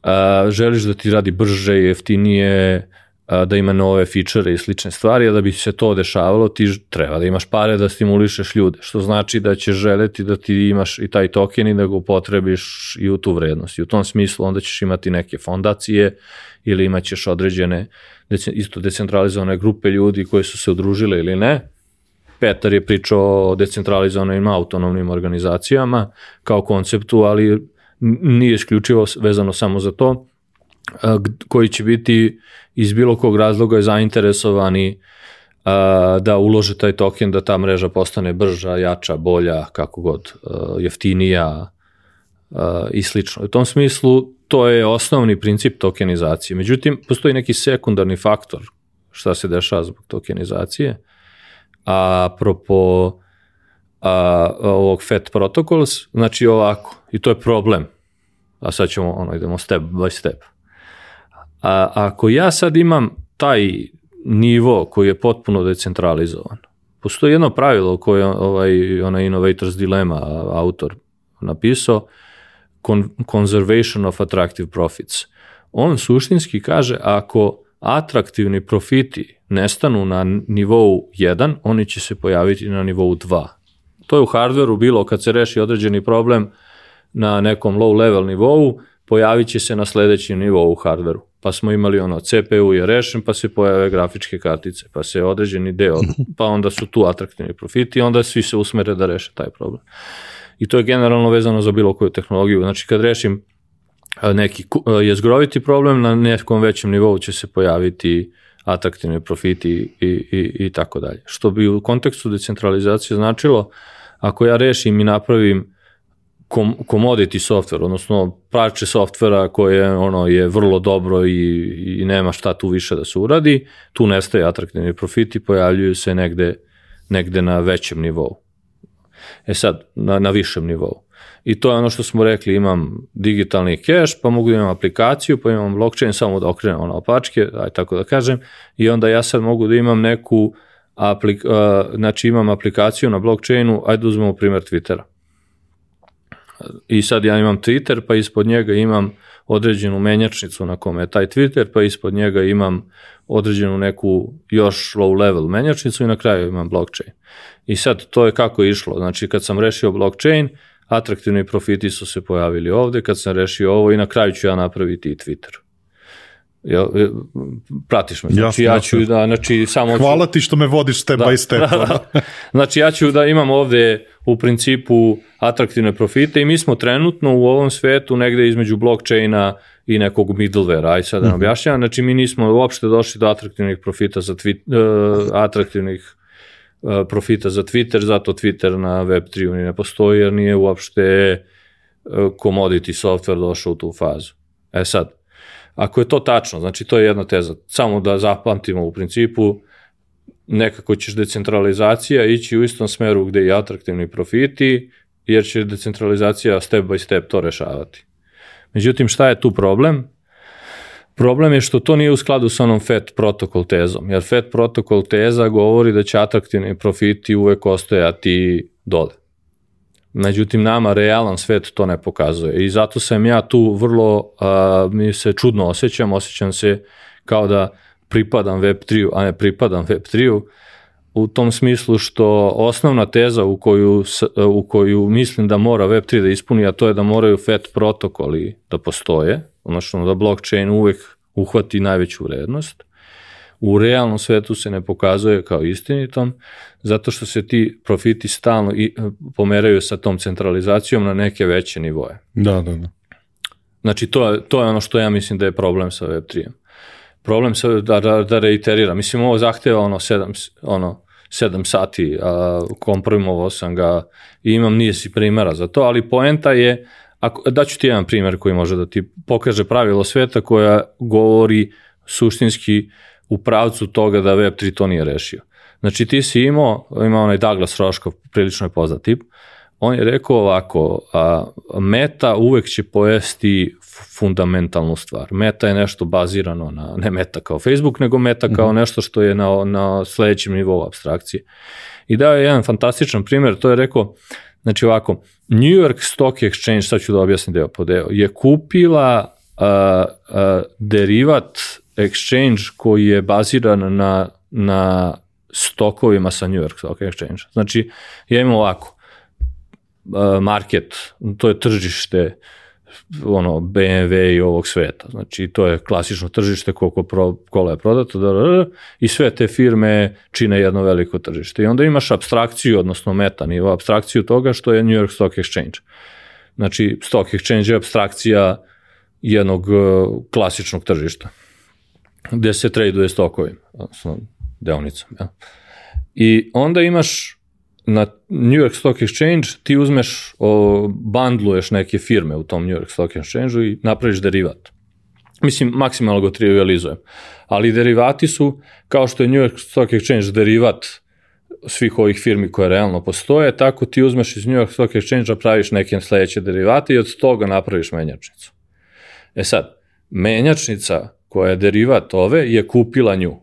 a, želiš da ti radi brže, jeftinije, da ima nove feature i slične stvari, a da bi se to dešavalo ti treba da imaš pare da stimulišeš ljude, što znači da će želeti da ti imaš i taj token i da ga upotrebiš i u tu vrednost. I u tom smislu onda ćeš imati neke fondacije ili imat ćeš određene isto decentralizovane grupe ljudi koji su se udružile ili ne. Petar je pričao o decentralizovanim autonomnim organizacijama kao konceptu, ali nije isključivo vezano samo za to, koji će biti iz bilo kog razloga zainteresovani da ulože taj token, da ta mreža postane brža, jača, bolja, kako god, jeftinija i slično. U tom smislu to je osnovni princip tokenizacije. Međutim, postoji neki sekundarni faktor šta se dešava zbog tokenizacije. A apropo a, ovog F A T protocols, znači ovako, i to je problem. A sad ćemo, ono, idemo step by step. A ako ja sad imam taj nivo koji je potpuno decentralizovan, postoji jedno pravilo koje je ovaj, onaj Innovator's Dilemma autor napisao, Conservation of Attractive Profits. On suštinski kaže, ako atraktivni profiti nestanu na nivou jedan, oni će se pojaviti na nivou dva. To je u hardveru bilo kad se reši određeni problem na nekom low level nivou, pojavit će se na sledećem nivou u hardveru. Pa smo imali ono, C P U je rešen, pa se pojave grafičke kartice, pa se određeni deo, pa onda su tu atraktivni profiti i onda svi se usmere da reše taj problem. I to je generalno vezano za bilo koju tehnologiju. Znači kad rešim neki jezgroviti problem, na nekom većem nivou će se pojaviti atraktivni profiti i, i, i tako dalje. Što bi u kontekstu decentralizacije značilo, ako ja rešim i napravim commodity software, odnosno parče softvera koje ono je vrlo dobro i, i nema šta tu više da se uradi, tu nestaje atraktivni profiti, pojavljuju se negde, negde na većem nivou. E sad, na, na višem nivou. I to je ono što smo rekli, imam digitalni cash, pa mogu da imam aplikaciju, pa imam blockchain, samo da okrenem ono opačke, aj tako da kažem, i onda ja sad mogu da imam neku, aplik, uh, znači imam aplikaciju na blockchainu, ajde uzmemo primjer Twittera. I sad ja imam Twitter, pa ispod njega imam određenu menjačnicu na kome je taj Twitter, pa ispod njega imam određenu neku još low level menjačnicu i na kraju imam blockchain. I sad to je kako je išlo, znači kad sam rešio blockchain, atraktivni profiti su se pojavili ovde, kad sam rešio ovo i na kraju ću ja napraviti i Twitter. Ja, pratiš me, znači jasno, ja ću jasno. da, znači samo... Hvala ti što me vodiš step da, by step. Znači ja ću da imam ovde u principu atraktivne profite i mi smo trenutno u ovom svetu negde između blockchaina i nekog middleware, aj sad da nam objašnjam, znači mi nismo uopšte došli do atraktivnih profita za tweet, uh, atraktivnih uh, profita za Twitter, zato Twitter na web tri ne postoji jer nije uopšte uh, commodity software došao u tu fazu. E sad, ako je to tačno, znači to je jedna teza, samo da zapamtimo u principu, nekako ćeš decentralizacija ići u istom smeru gde i atraktivni profiti, jer će decentralizacija step by step to rešavati. Međutim, šta je tu problem? Problem je što to nije u skladu sa onom F A T protokol tezom, jer F A T protokol teza govori da će atraktivni profiti uvek ostajati dole. Međutim, nama realan svet to ne pokazuje i zato sam ja tu vrlo, a, mi se čudno osjećam, osjećam se kao da pripadam web tri, a ne pripadam web tri, u tom smislu što osnovna teza u koju, u koju mislim da mora web tri da ispuni, a to je da moraju F A T protokoli da postoje, odnosno da blockchain uvek uhvati najveću vrednost, u realnom svetu se ne pokazuje kao istinitom, zato što se ti profiti stalno i pomeraju sa tom centralizacijom na neke veće nivoje. Da, da, da. Znači, to je, to je ono što ja mislim da je problem sa web tri. Problem sa, da, da, da reiteriram. Mislim, ovo zahteva ono sedam, ono, sedam sati, a komprimovao sam ga i imam niz primjera za to, ali poenta je, ako, daću ti jedan primjer koji može da ti pokaže pravilo sveta koja govori suštinski u pravcu toga da web tri to nije rešio. Znači ti si imao, imao onaj Douglas Roškov, prilično je poznat tip, on je rekao ovako, a, meta uvek će pojesti fundamentalnu stvar. Meta je nešto bazirano na, ne meta kao Facebook, nego meta kao nešto što je na, na sledećem nivou apstrakcije. I dao je jedan fantastičan primjer, to je rekao, znači ovako, New York Stock Exchange, sad ću da objasnim deo po deo, je kupila a, a, derivat exchange koji je baziran na, na stokovima sa New York Stock Exchange. Znači, ja imam ovako, market, to je tržište ono, B M W i ovog sveta. Znači, to je klasično tržište koliko pro, kola je prodato da, da, da, i sve te firme čine jedno veliko tržište. I onda imaš apstrakciju, odnosno meta nivo, apstrakciju toga što je New York Stock Exchange. Znači, Stock Exchange je apstrakcija jednog uh, klasičnog tržišta, gde se traduje stokovima, odnosno deonicama. Ja. I onda imaš na New York Stock Exchange, ti uzmeš, o, bandluješ neke firme u tom New York Stock Exchange-u i napraviš derivat. Mislim, maksimalno go trivializujem. Ali derivati su, kao što je New York Stock Exchange derivat svih ovih firmi koje realno postoje, tako ti uzmeš iz New York Stock Exchange-a, praviš neke sledeće derivate i od toga napraviš menjačnicu. E sad, menjačnica koja je derivat ove je kupila nju.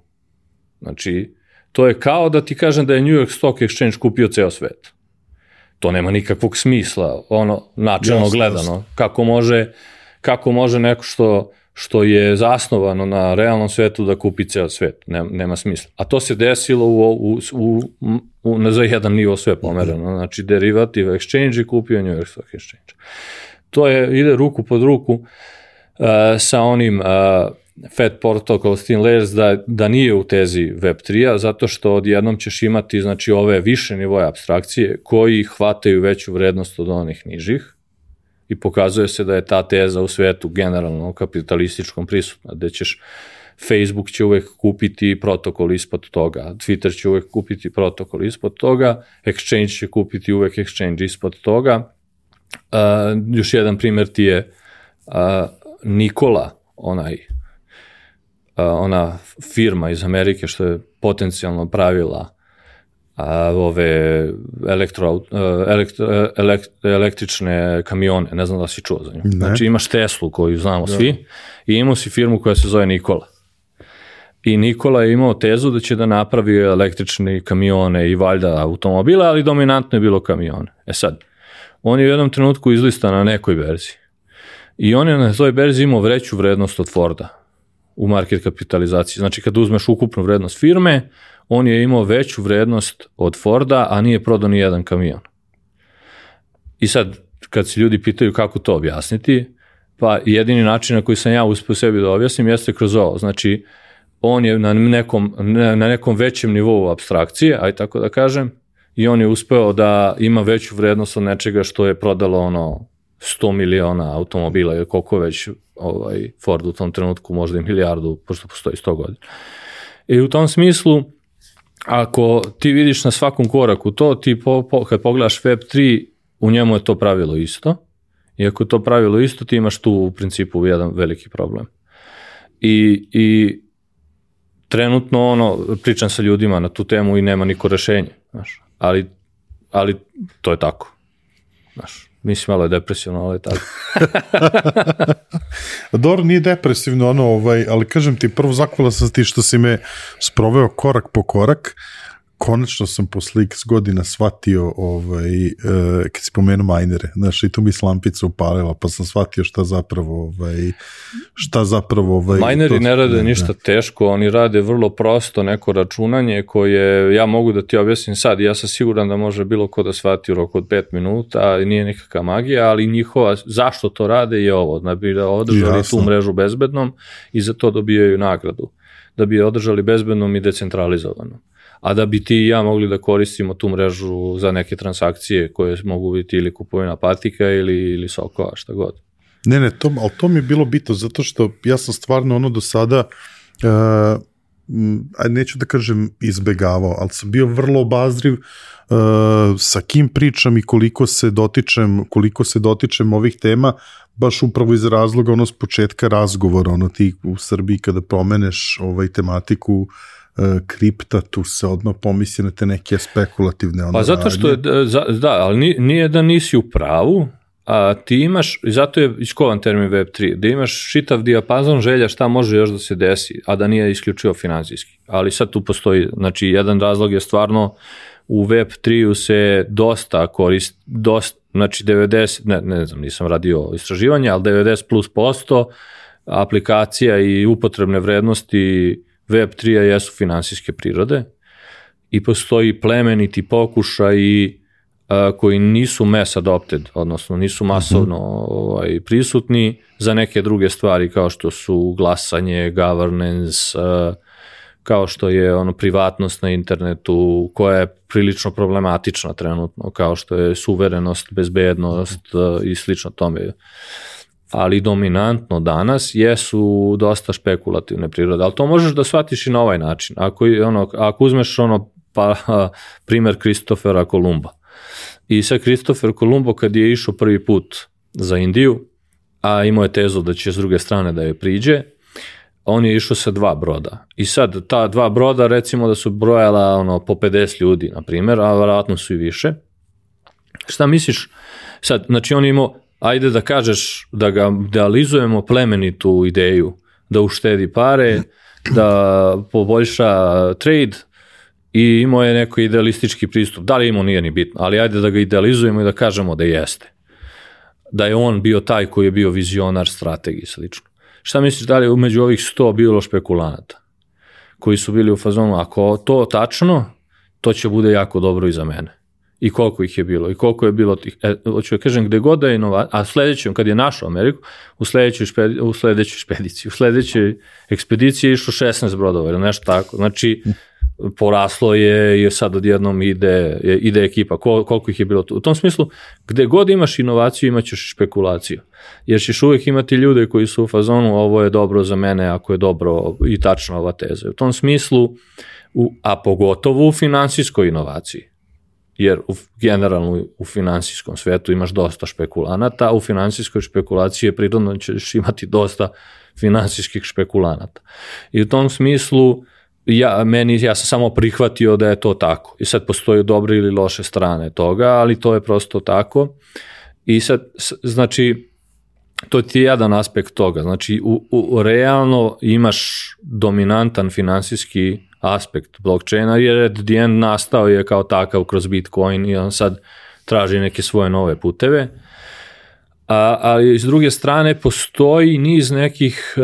Znači, to je kao da ti kažem da je New York Stock Exchange kupio ceo svet. To nema nikakvog smisla, ono, načelno jasno, gledano. Jasno. Kako može, kako može neko što, što je zasnovano na realnom svetu da kupi ceo svet? Nema, nema smisla. A to se desilo u, u, u, u, u, za jedan nivo sve pomereno. Znači, derivative exchange i kupio New York Stock Exchange. To je, ide ruku pod ruku uh, sa onim uh, Fed Protocol Thin Layers da, da nije u tezi Web tri-a, zato što odjednom ćeš imati znači, ove više nivoje apstrakcije koji hvataju veću vrednost od onih nižih i pokazuje se da je ta teza u svetu generalno kapitalističkom prisutna, gde ćeš Facebook će uvek kupiti protokol ispod toga, Twitter će uvek kupiti protokol ispod toga, Exchange će kupiti uvek Exchange ispod toga. Uh, još jedan primjer ti je uh, Nikola, onaj ona firma iz Amerike što je potencijalno pravila a, ove elektro, elektro, elekt, električne kamione, ne znam da si čuo za nju. Ne. Znači imaš Teslu koju znamo da. Svi i imao si firmu koja se zove Nikola. I Nikola je imao tezu da će da napravi električne kamione i valjda automobile, ali dominantno je bilo kamione. E sad, on je u jednom trenutku izlistan na nekoj berzi i on je na toj berzi imao veću vrednost od Forda u market kapitalizaciji. Znači, kad uzmeš ukupnu vrednost firme, on je imao veću vrednost od Forda, a nije prodao ni jedan kamion. I sad, kad se ljudi pitaju kako to objasniti, pa jedini način na koji sam ja uspio sebi da objasnim jeste kroz ovo. Znači, on je na nekom, na nekom većem nivou apstrakcije, aj tako da kažem, i on je uspeo da ima veću vrednost od nečega što je prodalo ono sto miliona automobila ili koliko već ovaj Ford u tom trenutku, možda i milijardu, pošto postoji sto godina. I u tom smislu, ako ti vidiš na svakom koraku to, ti po, po, kad pogledaš Web tri, u njemu je to pravilo isto. I ako je to pravilo isto, ti imaš tu u principu jedan veliki problem. I, i trenutno ono, pričam sa ljudima na tu temu i nema niko rešenje. Znaš, ali, ali to je tako. Znaš, mislim, malo je depresivno, ali je tako. Dobro, nije depresivno, ono, ovaj, ali kažem ti, prvo zahvala sam ti što si me sproveo korak po korak. Konačno sam posle x godina shvatio, ovaj, e, kad si pomenuo majnere, znaš, i tu mi slampica upalila, pa sam shvatio šta zapravo, ovaj, šta zapravo... Ovaj, majneri ne rade ne, ništa ne. teško, oni rade vrlo prosto neko računanje koje ja mogu da ti objasnim sad, ja sam siguran da može bilo ko da shvati u roku od pet minuta, nije nikakva magija, ali njihova, zašto to rade je ovo, da bi da održali Jasno. tu mrežu bezbednom i za to dobijaju nagradu, da bi je održali bezbednom i decentralizovanom. A da bi ti i ja mogli da koristimo tu mrežu za neke transakcije koje mogu biti ili kupovina patika ili, ili sokova, šta god. Ne, ne, to, ali to mi je bilo bitno, zato što ja sam stvarno ono do sada, uh, neću da kažem izbegavao, ali sam bio vrlo obazriv uh, sa kim pričam i koliko se dotičem, koliko se dotičem ovih tema, baš upravo iz razloga ono s početka razgovora, ono ti u Srbiji kada pomeneš ovaj tematiku kripta, tu se odmah pomisli na te neke spekulativne ono pa zato što je, da, da, ali nije da nisi u pravu, a ti imaš, i zato je iskovan termin Web tri, da imaš čitav dijapazon želja šta može još da se desi, a da nije isključivo finansijski. Ali sad tu postoji, znači jedan razlog je stvarno u Web tri-u se dosta korist, dosta, znači devedeset, ne, ne znam, nisam radio istraživanje, ali devedeset plus posto aplikacija i upotrebne vrednosti web tri jesu finansijske prirode i postoji plemeniti pokušaj koji nisu mass adopted, odnosno nisu masovno ovaj, prisutni za neke druge stvari kao što su glasanje, governance, kao što je ono privatnost na internetu koja je prilično problematična trenutno, kao što je suverenost, bezbednost i slično tome. Ali dominantno danas jesu dosta špekulativne prirode, ali to možeš da shvatiš i na ovaj način. Ako, ono, ako uzmeš ono pa, primer Kristofera Kolumba. I sad Kristofer Kolumbo kad je išao prvi put za Indiju, a imao je tezu da će s druge strane da je priđe, on je išao sa dva broda. I sad ta dva broda recimo da su brojala ono, po pedeset ljudi, na primjer, a vjerojatno su i više. Šta misliš? Sad, znači on je imao, ajde da kažeš da ga idealizujemo plemenitu ideju, da uštedi pare, da poboljša trade i imao je neko idealistički pristup. Da li imao, nije ni bitno, ali ajde da ga idealizujemo i da kažemo da jeste. Da je on bio taj koji je bio vizionar strategije slično. Šta misliš da li je među ovih sto bilo špekulanata koji su bili u fazonu, ako to tačno, to će bude jako dobro i za mene. I koliko ih je bilo, i koliko je bilo tih, e, hoću da kažem, gde god da je inovacija, a sledećem, kad je našao Ameriku, u sledećoj, špedi, u sledećoj špediciji, u sledećoj ekspediciji je išlo šesnaest brodova ili nešto tako, znači poraslo je i sad odjednom ide, ide ekipa, Kol, koliko ih je bilo tu. U tom smislu, gde god imaš inovaciju, imaćeš špekulaciju, jer ćeš uvijek imati ljude koji su u fazonu, ovo je dobro za mene, ako je dobro i tačna ova teza. U tom smislu, u, a pogotovo u finansijskoj inovaciji, jer u, generalno u finansijskom svetu imaš dosta špekulanata, a u finansijskoj špekulaciji je prirodno ćeš imati dosta finansijskih špekulanata. I u tom smislu, ja, meni, ja sam samo prihvatio da je to tako. I sad postoje dobre ili loše strane toga, ali to je prosto tako. I sad, znači, to ti je jedan aspekt toga. Znači, u, u, realno imaš dominantan finansijski aspekt blockchaina, jer at the end nastao je kao takav kroz Bitcoin i on sad traži neke svoje nove puteve. A, ali s druge strane postoji niz nekih uh,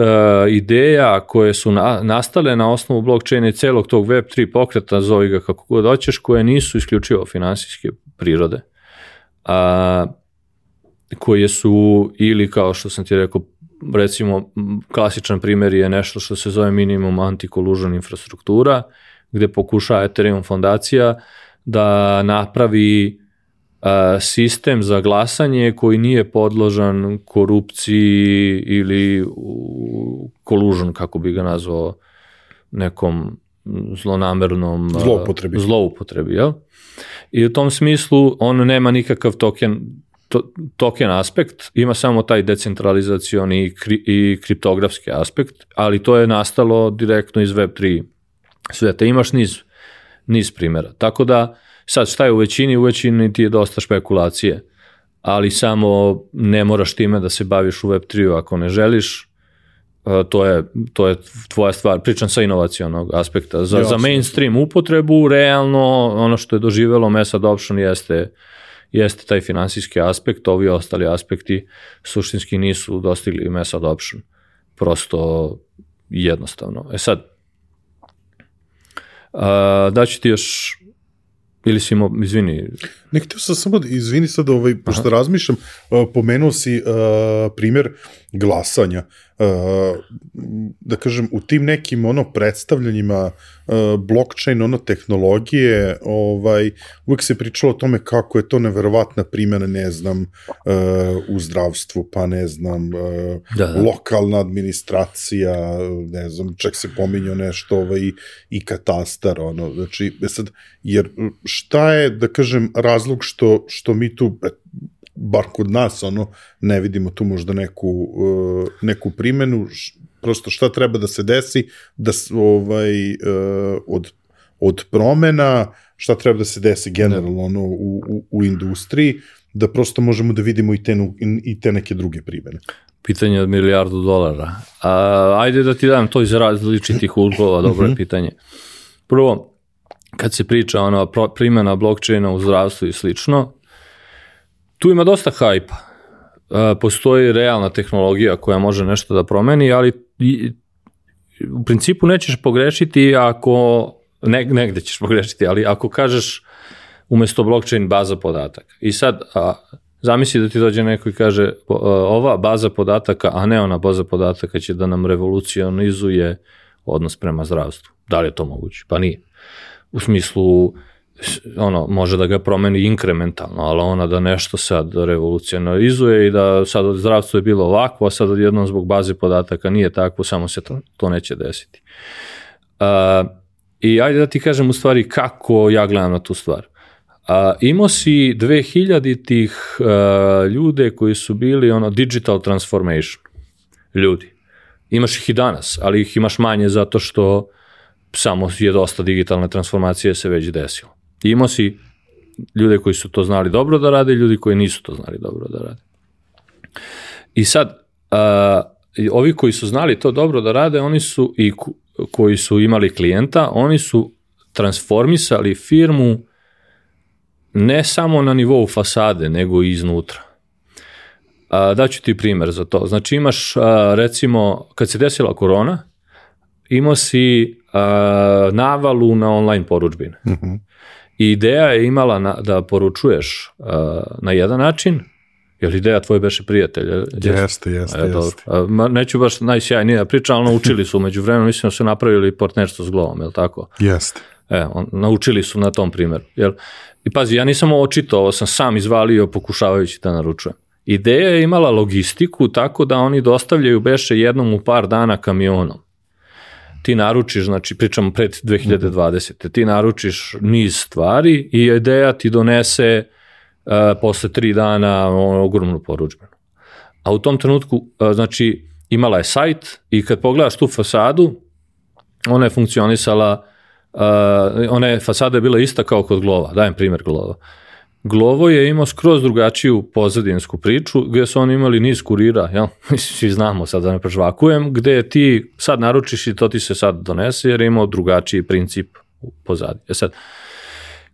ideja koje su na, nastale na osnovu blockchaina i celog tog web tri pokreta, zovi ga kako god hoćeš, koje nisu isključivo finansijske prirode. A, koje su ili kao što sam ti rekao, recimo klasičan primjer je nešto što se zove minimum anti-collusion infrastruktura, gde pokuša Ethereum fondacija da napravi sistem za glasanje koji nije podložan korupciji ili collusion, kako bi ga nazvao, nekom zlonamernom zloupotrebi. zloupotrebi, jel? I u tom smislu on nema nikakav token, to, token aspekt, ima samo taj decentralizacioni i, kri, i kriptografski aspekt, ali to je nastalo direktno iz web tri sveta. Imaš niz, niz primjera. Tako da sad šta je u većini? U većini ti je dosta špekulacije, ali samo ne moraš time da se baviš u web tri ako ne želiš, to je, to je tvoja stvar. Pričam sa inovacionog aspekta. Za, za mainstream upotrebu, realno ono što je doživelo mass adoption jeste, jeste taj finansijski aspekt, ovi ostali aspekti suštinski nisu dostigli mass adoption. Prosto jednostavno. E sad, da ću ti još ili si imao, izvini. Ne, htio sam samo, izvini sad, ovaj, pošto Aha. razmišljam, uh, pomenuo si uh, primjer glasanja. Uh, da kažem, u tim nekim ono predstavljanjima uh, blockchain, ono tehnologije, ovaj, uvijek se pričalo o tome kako je to neverovatna primjena, ne znam, uh, u zdravstvu, pa ne znam, uh, da, da. lokalna administracija, ne znam, čak se pominjao nešto ovaj, i katastar, ono, znači, sad, jer šta je, da kažem, razlog što, što mi tu, bar kod nas, ono, ne vidimo tu možda neku, uh, neku primjenu, š, prosto šta treba da se desi, da ovaj, uh, od, od promena, šta treba da se desi generalno ono, u, u, u industriji, da prosto možemo da vidimo i te, i te neke druge primjene. Pitanje od milijardu dolara. A, ajde da ti dam to iz različitih uglova, dobro je pitanje. Prvo, kad se priča ono, primjena blockchaina u zdravstvu i slično, tu ima dosta hajpa. postoji realna tehnologija koja može nešto da promeni, ali u principu nećeš pogrešiti ako, ne, negde ćeš pogrešiti, ali ako kažeš umesto blockchain baza podataka. I sad, a, zamisli da ti dođe neko i kaže ova baza podataka, a ne ona baza podataka će da nam revolucionizuje odnos prema zdravstvu. Da li je to moguće? Pa nije. U smislu, ono, može da ga promeni inkrementalno, ali ona da nešto sad revolucionizuje i da sad zdravstvo je bilo ovako, a sad odjednom zbog baze podataka nije tako, samo se to, to neće desiti. Uh, I ajde da ti kažem u stvari kako ja gledam na tu stvar. Uh, imao si dve hiljaditih uh, ljude koji su bili ono digital transformation ljudi. Imaš ih i danas, ali ih imaš manje zato što samo je dosta digitalne transformacije se već desilo. I imao si ljude koji su to znali dobro da rade i ljudi koji nisu to znali dobro da rade. I sad, uh, ovi koji su znali to dobro da rade, oni su i koji su imali klijenta, oni su transformisali firmu ne samo na nivou fasade, nego i iznutra. Uh, daću ti primjer za to. Znači imaš, uh, recimo, kad se desila korona, imao si uh, navalu na online poručbine. Uh-huh. I ideja je imala na, da poručuješ uh, na jedan način, jer ideja tvoje beše prijatelj. Jeste, jeste, jeste. Uh, neću baš najsjajnija priča, ali naučili su umeđu vremenu, mislim da su napravili partnerstvo s Glovom, je li tako? Jeste. E, on, naučili su na tom primjeru. Jel? I pazi, ja nisam očito, ovo sam sam izvalio pokušavajući da naručujem. Ideja je imala logistiku tako da oni dostavljaju beše jednom u par dana kamionom. Ti naručiš, znači pričamo pred dve hiljade dvadesete. Ti naručiš niz stvari i ideja ti donese uh, posle tri dana ogromnu poručbenu. A u tom trenutku, uh, znači, imala je sajt i kad pogledaš tu fasadu, ona je funkcionisala, uh, ona je, fasada je bila ista kao kod Glova, dajem primjer Glova. Glovo je imao skroz drugačiju pozadinsku priču, gdje su oni imali niz kurira, jel? Svi znamo, sad da ne prežvakujem, gdje ti sad naručiš i to ti se sad donese, jer je imao drugačiji princip pozadi. E sad,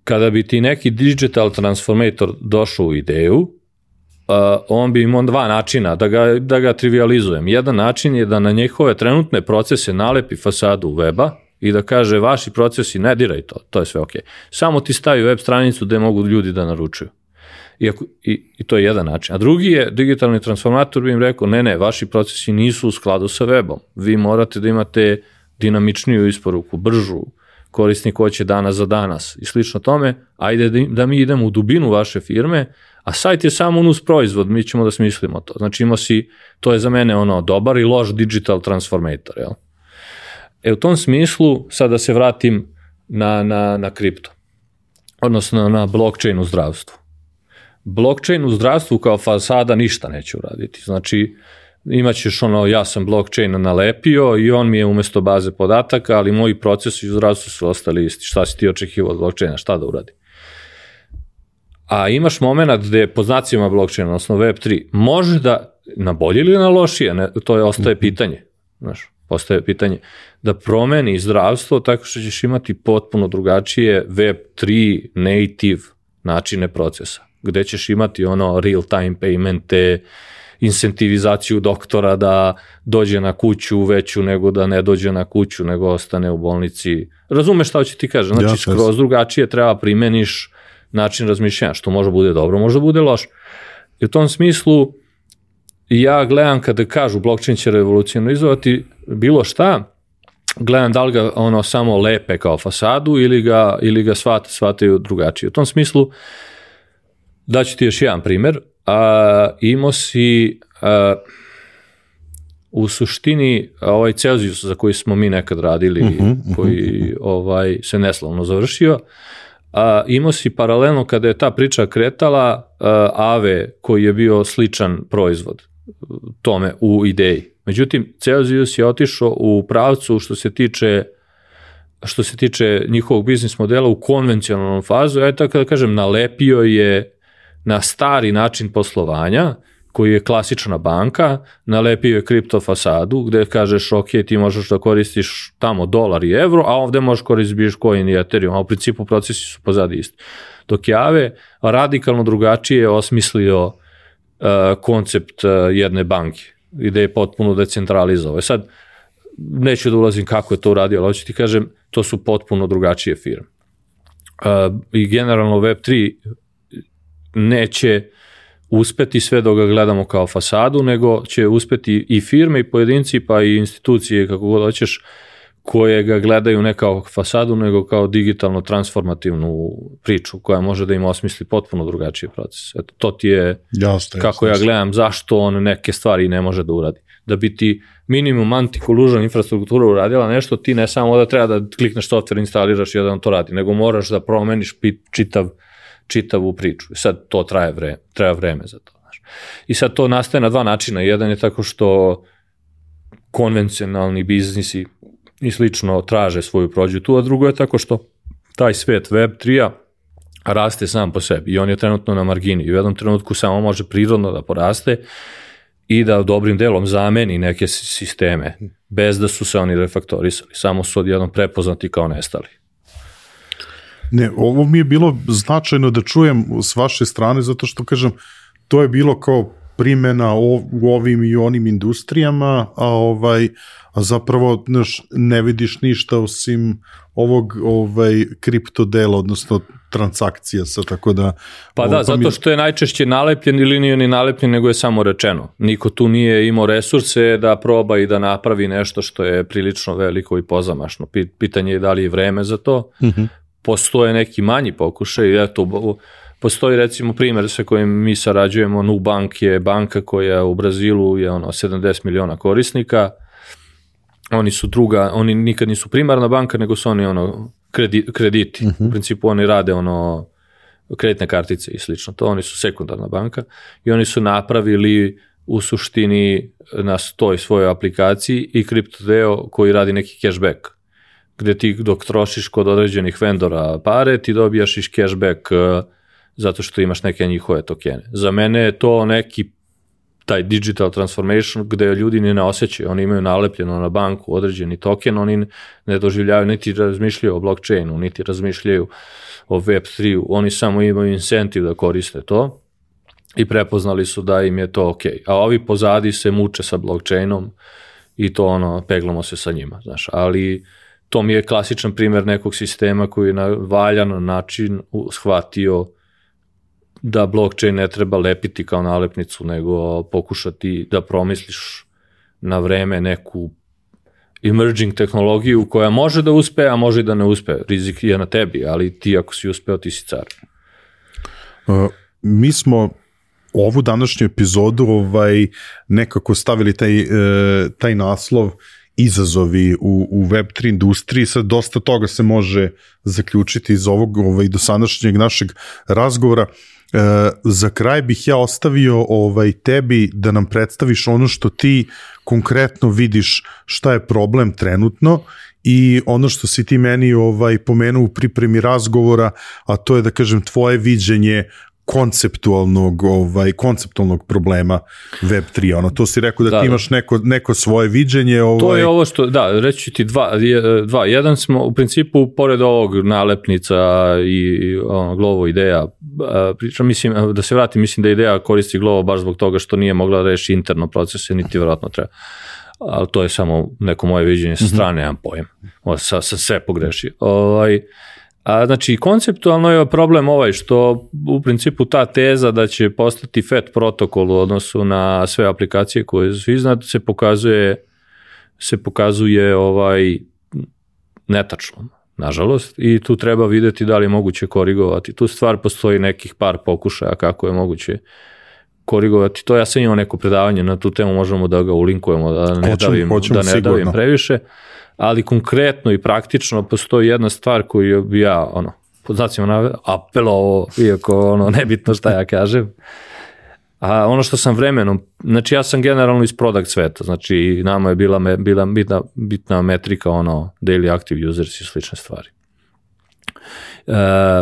kada bi ti neki digital transformator došao u ideju, uh, on bi imao dva načina, da ga, da ga trivializujem. Jedan način je da na njihove trenutne procese nalepi fasadu weba, i da kaže vaši procesi ne diraj to, to je sve ok. Samo ti stavi web stranicu gde mogu ljudi da naručuju. Iako, i, I to je jedan način. A drugi je, digitalni transformator bi im rekao, ne, ne, vaši procesi nisu u skladu sa webom. Vi morate da imate dinamičniju isporuku, bržu, korisnik hoće danas za danas i slično tome, ajde da, da mi idemo u dubinu vaše firme, a sajt je samo nus proizvod, mi ćemo da smislimo to. Znači ima si, to je za mene ono dobar i loš digital transformator, jel? E u tom smislu, sad da se vratim na, na, na kripto, odnosno na blockchain u zdravstvu. Blockchain u zdravstvu kao fasada ništa neće uraditi. Znači, imaćeš ono, ja sam blockchain nalepio i on mi je umesto baze podataka, ali moji procesi u zdravstvu su ostali isti. Šta si ti očekivao od blockchaina, šta da uradi? A imaš moment gde po znacima blockchaina, odnosno web tri, može da na bolje ili na lošije, ne, to je ostaje pitanje, znaš. Postaje pitanje da promeni zdravstvo tako što ćeš imati potpuno drugačije web tri native načine procesa, gde ćeš imati ono real time paymente, incentivizaciju doktora da dođe na kuću veću nego da ne dođe na kuću, nego ostane u bolnici. Razumeš šta hoće ti kažem? Znači, ja, skroz drugačije treba primeniš način razmišljanja, što može bude dobro, može bude loš. I u tom smislu ja gledam kada kažu blockchain će revolucionizovati bilo šta, gledam da li ga ono samo lepe kao fasadu ili ga, ili ga shvat, shvataju drugačije. U tom smislu, daću ti još jedan primjer, a, imao si a, u suštini ovaj Celsius za koji smo mi nekad radili, uh-huh, koji uh-huh. ovaj, se neslavno završio, a, imao si paralelno kada je ta priča kretala a, Ave koji je bio sličan proizvod tome u ideji. Međutim, Celsius je otišao u pravcu što se tiče što se tiče njihovog biznis modela u konvencionalnom fazu, ja tako da kažem, nalepio je na stari način poslovanja, koji je klasična banka, nalepio je kripto fasadu, gde kažeš, ok, ti možeš da koristiš tamo dolar i evro, a ovde možeš koristiti Bitcoin i Ethereum, a u principu procesi su pozadi isti. Dok je Aave radikalno drugačije osmislio koncept uh, jedne banke i da je potpuno decentralizovao. Sad, neću da ulazim kako je to uradio, ali hoću ti kažem, to su potpuno drugačije firme. Uh, I generalno web tri neće uspeti sve dok ga gledamo kao fasadu, nego će uspeti i firme i pojedinci pa i institucije, kako god hoćeš, koje ga gledaju ne kao fasadu, nego kao digitalno transformativnu priču koja može da im osmisli potpuno drugačiji proces. Eto, to ti je jasne, kako jasne. Ja gledam zašto on neke stvari ne može da uradi. Da bi ti minimum anti-collusion infrastruktura uradila nešto, ti ne samo da treba da klikneš software, instaliraš i da on to radi, nego moraš da promeniš čitav, čitavu priču. I sad to traje vreme, treba vreme za to. Znaš. I sad to nastaje na dva načina. Jedan je tako što konvencionalni biznisi i slično traže svoju prođu tu, a drugo je tako što taj svet web tri-a raste sam po sebi i on je trenutno na margini i u jednom trenutku samo može prirodno da poraste i da dobrim delom zameni neke sisteme bez da su se oni refaktorisali, samo su odjednom prepoznati kao nestali. Ne, ovo mi je bilo značajno da čujem s vaše strane, zato što, kažem, to je bilo kao primjena u ovim i onim industrijama, a ovaj a zapravo znaš, ne vidiš ništa osim ovog ovaj kripto dela, odnosno transakcija sa, tako da... Pa da, zato što je najčešće nalepljen ili nije ni nalepljen, nego je samo rečeno. Niko tu nije imao resurse da proba i da napravi nešto što je prilično veliko i pozamašno. Pitanje je da li je vreme za to. Uh-huh. Postoje neki manji pokušaj, eto, postoji recimo primjer sa kojim mi sarađujemo, Nubank je banka koja u Brazilu je ono sedamdeset miliona korisnika, oni su druga, oni nikad nisu primarna banka, nego su oni ono kredi, krediti, uh-huh. U principu oni rade ono kreditne kartice i slično, to oni su sekundarna banka i oni su napravili u suštini na toj svojoj aplikaciji i kripto deo koji radi neki cashback, gde ti dok trošiš kod određenih vendora pare, ti dobijaš iš cashback zato što imaš neke njihove tokene. Za mene je to neki taj digital transformation gde ljudi ne osjećaju, oni imaju nalepljeno na banku određeni token, oni ne doživljavaju, niti razmišljaju o blockchainu, niti razmišljaju o web tri-u, oni samo imaju incentive da koriste to i prepoznali su da im je to ok. A ovi pozadi se muče sa blockchainom i to ono, peglamo se sa njima, znaš, ali to mi je klasičan primjer nekog sistema koji je na valjan način shvatio da blockchain ne treba lepiti kao nalepnicu, nego pokušati da promisliš na vreme neku emerging tehnologiju koja može da uspe, a može i da ne uspe. Rizik je na tebi, ali ti ako si uspeo, ti si car. Uh, mi smo ovu današnju epizodu ovaj, nekako stavili taj, uh, taj naslov izazovi u, u web tri industriji, sad dosta toga se može zaključiti iz ovog ovaj, dosadašnjeg našeg razgovora. E, za kraj bih ja ostavio ovaj, tebi da nam predstaviš ono što ti konkretno vidiš šta je problem trenutno i ono što si ti meni ovaj, pomenuo u pripremi razgovora, a to je da kažem tvoje viđenje konceptualnog ovaj konceptualnog problema web tri, ono to si rekao da, da ti imaš neko neko svoje viđenje, ovaj to je ovo što da reći ti dva dva jedan smo u principu pored ovog nalepnica i ono Glovo ideja pričam, mislim da se vratim, mislim da ideja koristi Glovo baš zbog toga što nije mogla da reši interno procese, niti verovatno treba, ali to je samo neko moje viđenje sa strane, nemam pojem, sa sa sve pogrešio. Ovaj A, znači, konceptualno je problem ovaj što u principu ta teza da će postati F A T protokol u odnosu na sve aplikacije koje su iznad se pokazuje, se pokazuje ovaj netačno, nažalost, i tu treba videti da li je moguće korigovati. Tu stvar postoji nekih par pokušaja kako je moguće korigovati. To ja sam imao neko predavanje na tu temu, možemo da ga ulinkujemo, da ne hoćemo, davim, hoćemo da ne davim previše. Ali konkretno i praktično postoji jedna stvar koju bi ja, ono, pod znacima apelovao, iako ono, nebitno šta ja kažem, a ono što sam vremenom, znači ja sam generalno iz product sveta, znači nama je bila, bila bitna, bitna metrika, ono, daily active users i slične stvari. Uh,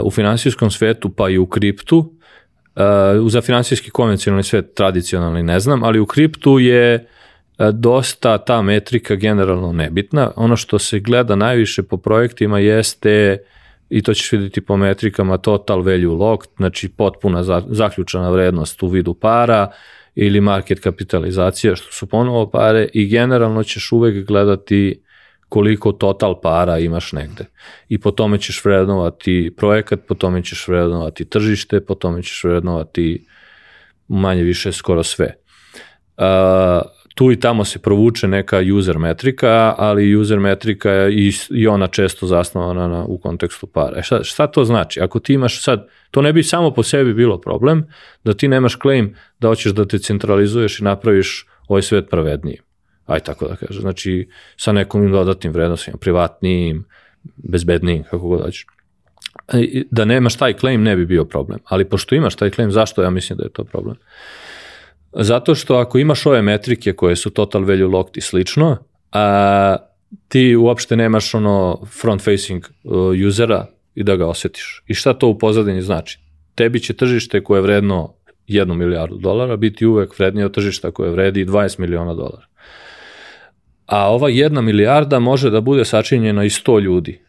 u finansijskom svetu, pa i u kriptu, uh, za finansijski konvencionalni svet tradicionalni ne znam, ali u kriptu je dosta ta metrika generalno nebitna. Ono što se gleda najviše po projektima jeste i to ćeš vidjeti po metrikama total value locked, znači potpuna zaključana vrednost u vidu para ili market kapitalizacija, što su ponovo pare, i generalno ćeš uvek gledati koliko total para imaš negde. I po tome ćeš vrednovati projekat, po tome ćeš vrednovati tržište, po tome ćeš vrednovati manje više skoro sve. Uh, tu i tamo se provuče neka user metrika, ali user metrika je i, i ona često zasnovana na, u kontekstu para. E šta, šta to znači? Ako ti imaš sad, to ne bi samo po sebi bilo problem, da ti nemaš claim da hoćeš da te centralizuješ i napraviš ovaj svet pravednijim. Aj tako da kažem. Znači, sa nekom dodatnim vrednostima, privatnijim, bezbednijim, kako god hoćeš. Da nemaš taj claim ne bi bio problem. Ali pošto imaš taj claim, zašto ja mislim da je to problem? Zato što ako imaš ove metrike koje su total value locked i slično, a ti uopšte nemaš ono front facing usera i da ga osjetiš. I šta to u pozadini znači? Tebi će tržište koje je vredno jednu milijardu dolara biti uvek vrednije od tržišta koje vredi dvadeset miliona dolara. A ova jedna milijarda može da bude sačinjena i sto ljudi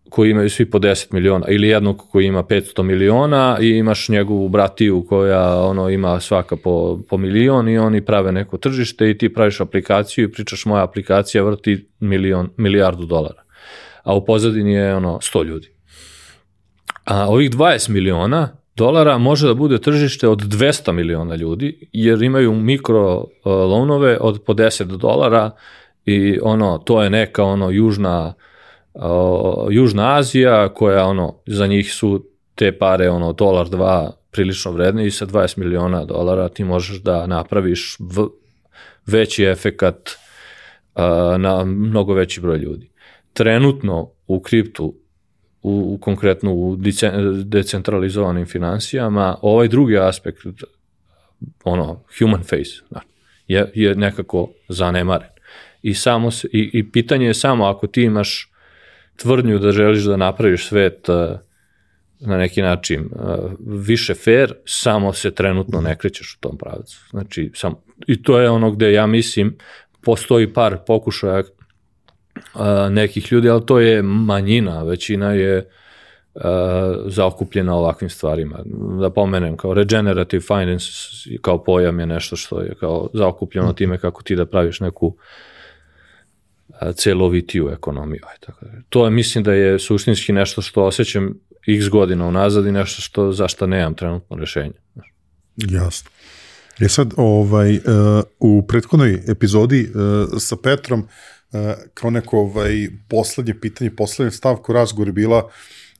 koji imaju svi po deset miliona, ili jednog koji ima petsto miliona i imaš njegovu bratiju koja ono ima svaka po, po milion i oni prave neko tržište i ti praviš aplikaciju i pričaš moja aplikacija vrti milion, milijardu dolara. A u pozadini je ono sto ljudi. A ovih dvadeset miliona dolara može da bude tržište od dvesta miliona ljudi, jer imaju mikro loanove od po deset dolara i ono, to je neka ono južna Uh, Južna Azija koja ono, za njih su te pare ono dolar dva prilično vredne i sa dvadeset miliona dolara ti možeš da napraviš v, veći efekat uh, na mnogo veći broj ljudi. Trenutno u kriptu, u, u konkretno u decentralizovanim financijama, ovaj drugi aspekt, ono, human face, je, je nekako zanemaren. I, samo se, i, i pitanje je samo ako ti imaš tvrdnju da želiš da napraviš svet uh, na neki način uh, više fair, samo se trenutno ne krećeš u tom pravcu. Znači, sam, i to je ono gde ja mislim postoji par pokušaja uh, nekih ljudi, ali to je manjina, većina je uh, zaokupljena ovakvim stvarima. Da pomenem, kao regenerative finance kao pojam je nešto što je kao zaokupljeno time kako ti da praviš neku celovitiju ekonomiju. To je, mislim da je suštinski nešto što osjećam x godina unazad i nešto što, za što nemam trenutno rešenje. Jasno. Je sad, ovaj, uh, u prethodnoj epizodi uh, sa Petrom, uh, kao neko ovaj, poslednje pitanje, poslednje stavku razgovor je bila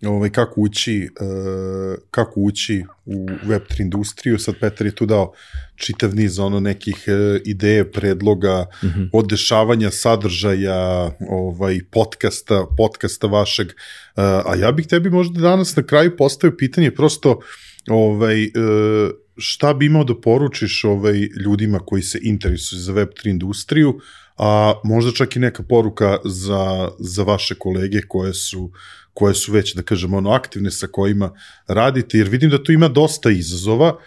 ovaj, kako ući, uh, kako ući u web tri industriju. Sad Petar je tu dao čitav niz ono nekih uh, ideje, predloga, mm-hmm. od dešavanja sadržaja, ovaj, podcasta, podcasta vašeg. Uh, a ja bih tebi možda danas na kraju postavio pitanje prosto ovaj, uh, šta bi imao da poručiš ovaj, ljudima koji se interesuju za web tri industriju, a možda čak i neka poruka za, za vaše kolege koje su koje su već, da kažemo, ono, aktivne sa kojima radite, jer vidim da tu ima dosta izazova.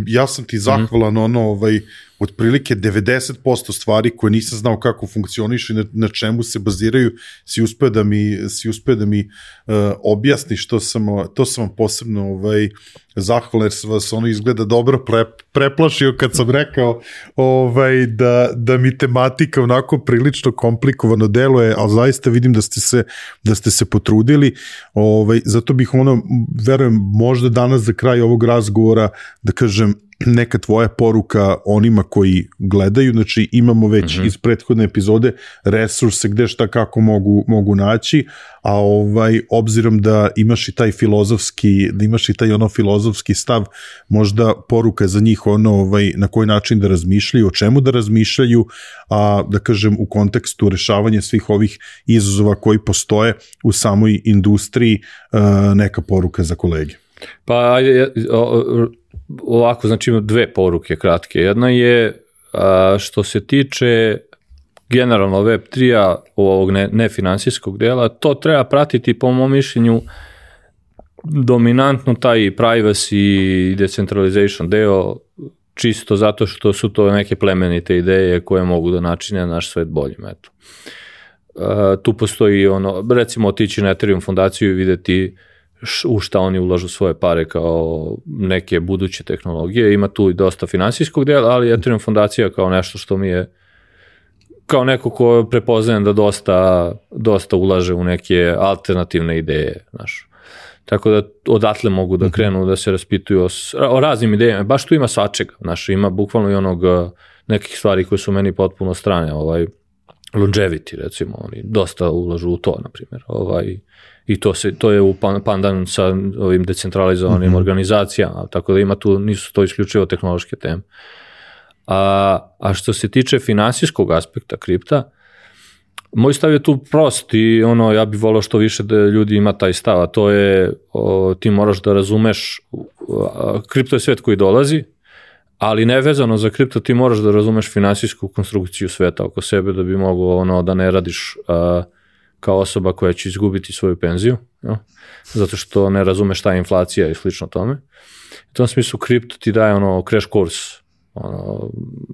Ja sam ti zahvalan, mm-hmm. ono, ovaj, otprilike devedeset posto stvari koje nisam znao kako funkcionišu i na, na čemu se baziraju, si uspeo da mi, si uspeo da mi uh, objasni, što sam, to sam vam posebno ovaj, zahvalan, jer sam vas ono izgleda dobro pre, preplašio kad sam rekao ovaj, da, da mi tematika onako prilično komplikovano deluje, ali zaista vidim da ste se, da ste se potrudili, ovaj, zato bih ono, verujem, možda danas za kraj ovog razgovora, da kažem, neka tvoja poruka onima koji gledaju, znači imamo već mm-hmm. iz prethodne epizode resurse gde šta kako mogu, mogu naći, a ovaj, obzirom da imaš i taj filozofski, da imaš i taj ono filozofski stav, možda poruka za njih ono, ovaj, na koji način da razmišljaju, o čemu da razmišljaju, a da kažem u kontekstu rešavanja svih ovih izazova koji postoje u samoj industriji, neka poruka za kolege. Pa ovako, znači imam dve poruke kratke. Jedna je a, što se tiče generalno web tri-a ovog ne, nefinansijskog dela, to treba pratiti po mom mišljenju dominantno taj privacy i decentralization deo, čisto zato što su to neke plemenite ideje koje mogu da načine naš svet boljim. Eto. tu postoji ono, recimo otići na Ethereum fondaciju i vidjeti u šta oni ulažu svoje pare kao neke buduće tehnologije. Ima tu i dosta finansijskog dela, ali Ethereum fondacija kao nešto što mi je kao neko ko prepoznajem da dosta, dosta ulaže u neke alternativne ideje. Znaš. Tako da odatle mogu da krenu da se raspituju o, o raznim idejama. Baš tu ima svačega. Znaš, ima bukvalno i onog nekih stvari koje su meni potpuno strane. Ovaj, longevity, recimo, oni dosta ulažu u to, na primjer. Ovaj, I to, se, to je u pandan sa ovim decentralizovanim mm-hmm. organizacijama, tako da ima tu, nisu to isključivo tehnološke teme. A, a što se tiče finansijskog aspekta kripta, moj stav je tu prost i ono, ja bih volio što više da ljudi ima taj stav, a to je, o, ti moraš da razumeš, a, kripto je svet koji dolazi, ali nevezano za kripto ti moraš da razumeš finansijsku konstrukciju sveta oko sebe da bi mogao ono, da ne radiš a, kao osoba koja će izgubiti svoju penziju, jo? Zato što ne razumeš šta je inflacija i slično tome. U tom smislu kripto ti daje ono crash course ono,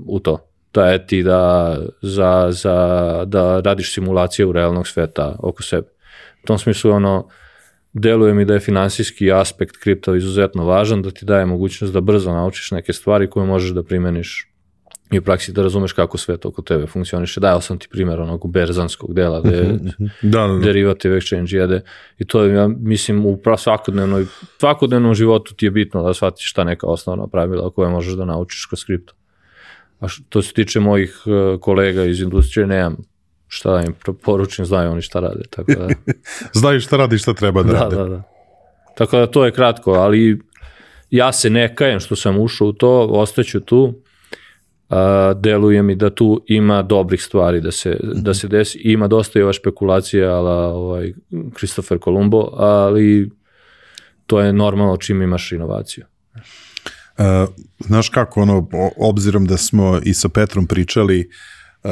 u to. Da je ti da, za, za, da radiš simulacije u realnog sveta oko sebe. U tom smislu ono, deluje mi da je finansijski aspekt kripta izuzetno važan, da ti daje mogućnost da brzo naučiš neke stvari koje možeš da primeniš i u praksi da razumeš kako svet oko tebe funkcioniše. Dao sam ti primjer onog berzanskog dela gde uh-huh. da, da, da. derivative exchange jede i to je, ja mislim, u svakodnevnoj, svakodnevnom životu ti je bitno da shvatiš šta neka osnovna pravila koje možeš da naučiš kroz kripto. A što se tiče mojih kolega iz industrije, nemam šta da im poručim, znaju oni šta rade. Tako da... znaju šta radi i šta treba da, da rade. Da, da. Tako da to je kratko, ali ja se ne kajem što sam ušao u to, ostaću tu. Uh, deluje mi da tu ima dobrih stvari da se, mm-hmm. da se desi. Ima dosta i ova špekulacija ala ovaj, Christopher Columbo, ali to je normalno čim imaš inovaciju. Uh, znaš kako, ono, obzirom da smo i sa Petrom pričali, uh,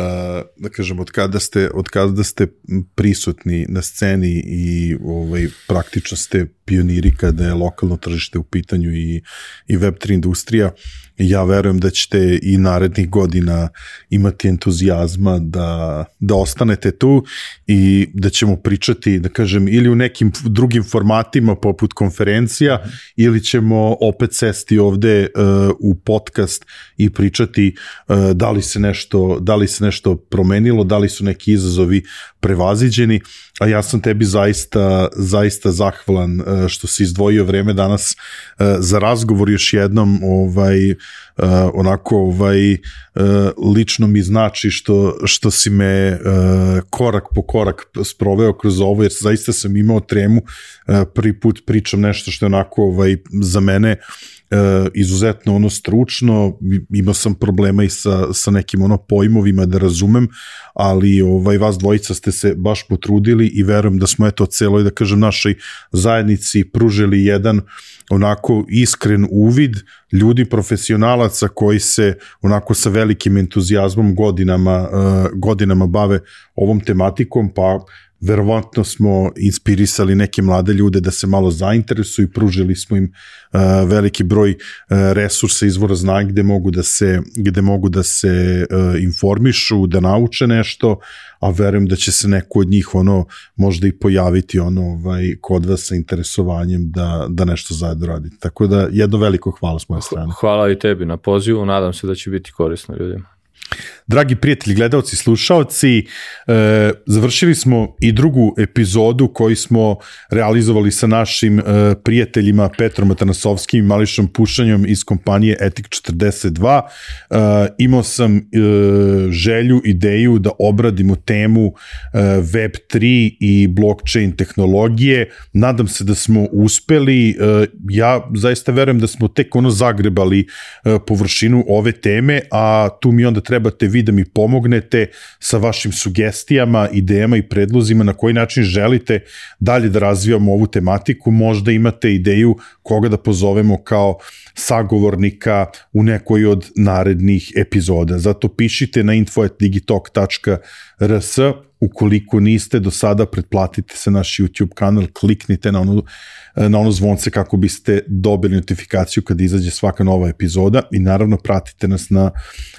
da kažem, od kada ste, od kada ste prisutni na sceni i ovaj, praktično ste pioniri kada je lokalno tržište u pitanju i, i web tri industrija, ja verujem da ćete i narednih godina imati entuzijazma da, da ostanete tu i da ćemo pričati, da kažem, ili u nekim drugim formatima poput konferencija, mm. ili ćemo opet sesti ovde uh, u podcast i pričati uh, da li se nešto, da li se nešto promenilo, da li su neki izazovi prevaziđeni, a ja sam tebi zaista, zaista zahvalan uh, što si izdvojio vreme danas uh, za razgovor još jednom, ovaj, uh, onako ovaj, uh, lično mi znači što, što si me uh, korak po korak sproveo kroz ovo, jer zaista sam imao tremu, uh, prvi put pričam nešto što je onako ovaj, za mene Uh, izuzetno ono stručno, imao sam problema i sa, sa nekim ono pojmovima da razumem, ali ovaj, vas dvojica ste se baš potrudili i verujem da smo eto celoj, da kažem, našoj zajednici pružili jedan onako iskren uvid ljudi profesionalaca koji se onako sa velikim entuzijazmom godinama, uh, godinama bave ovom tematikom, pa verovatno smo inspirisali neke mlade ljude da se malo zainteresuju i pružili smo im uh, veliki broj uh, resursa, izvora znanja gde mogu da se, gde mogu da se uh, informišu, da nauče nešto, a verujem da će se neko od njih ono možda i pojaviti ono ovaj, kod vas sa interesovanjem da, da nešto zajedno radite. Tako da jedno veliko hvala s moje strane. Hvala i tebi na pozivu, nadam se da će biti korisno ljudima. Dragi prijatelji, gledalci, slušaoci, e, završili smo i drugu epizodu koju smo realizovali sa našim e, prijateljima Petrom Atanasovskim i Mališom Pušanjom iz kompanije Etik četrdeset dva. E, imao sam e, želju, ideju da obradimo temu e, web tri i blockchain tehnologije. Nadam se da smo uspeli. E, ja zaista verujem da smo tek ono zagrebali e, površinu ove teme, a tu mi onda trebate vi da mi pomognete sa vašim sugestijama, idejama i predlozima na koji način želite dalje da razvijamo ovu tematiku. Možda imate ideju koga da pozovemo kao sagovornika u nekoj od narednih epizoda. Zato pišite na info at digitalk tačka r s ukoliko niste do sada, pretplatite se naš YouTube kanal, kliknite na onu, na ono zvonce kako biste dobili notifikaciju kad izađe svaka nova epizoda i naravno pratite nas na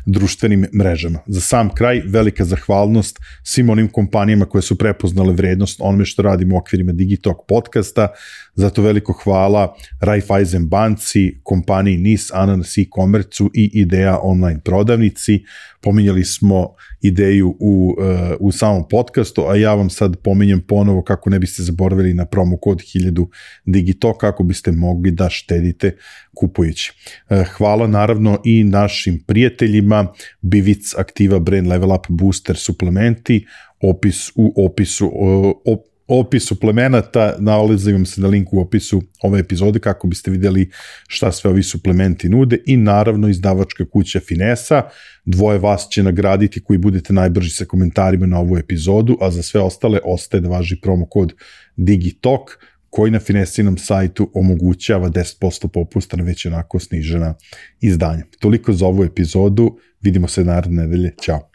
društvenim mrežama. Za sam kraj, velika zahvalnost svim onim kompanijama koje su prepoznale vrednost onome što radimo u okvirima Digitalk podcasta, zato veliko hvala Raiffeisen banci, kompaniji N I S, Ananas e-commerce i Ideja online prodavnici. Pominjali smo Ideju u, u samom podcastu, a ja vam sad pominjem ponovo kako ne biste zaboravili na promo kod hiljadu Digitalk, kako biste mogli da štedite kupujući. Hvala naravno i našim prijateljima Bivic, Aktiva, Brain Level Up, Booster, suplementi, opis u opisu op, opis suplemenata, nalazim se na linku u opisu ove epizode kako biste vidjeli šta sve ovi suplementi nude i naravno izdavačka kuća Finesa. Dvoje vas će nagraditi koji budete najbrži sa komentarima na ovu epizodu, a za sve ostale ostaje da važi promo kod Digitalk koji na Finesinom sajtu omogućava deset posto popusta na već onako snižena izdanja. Toliko za ovu epizodu, vidimo se naredne nedelje, ćao.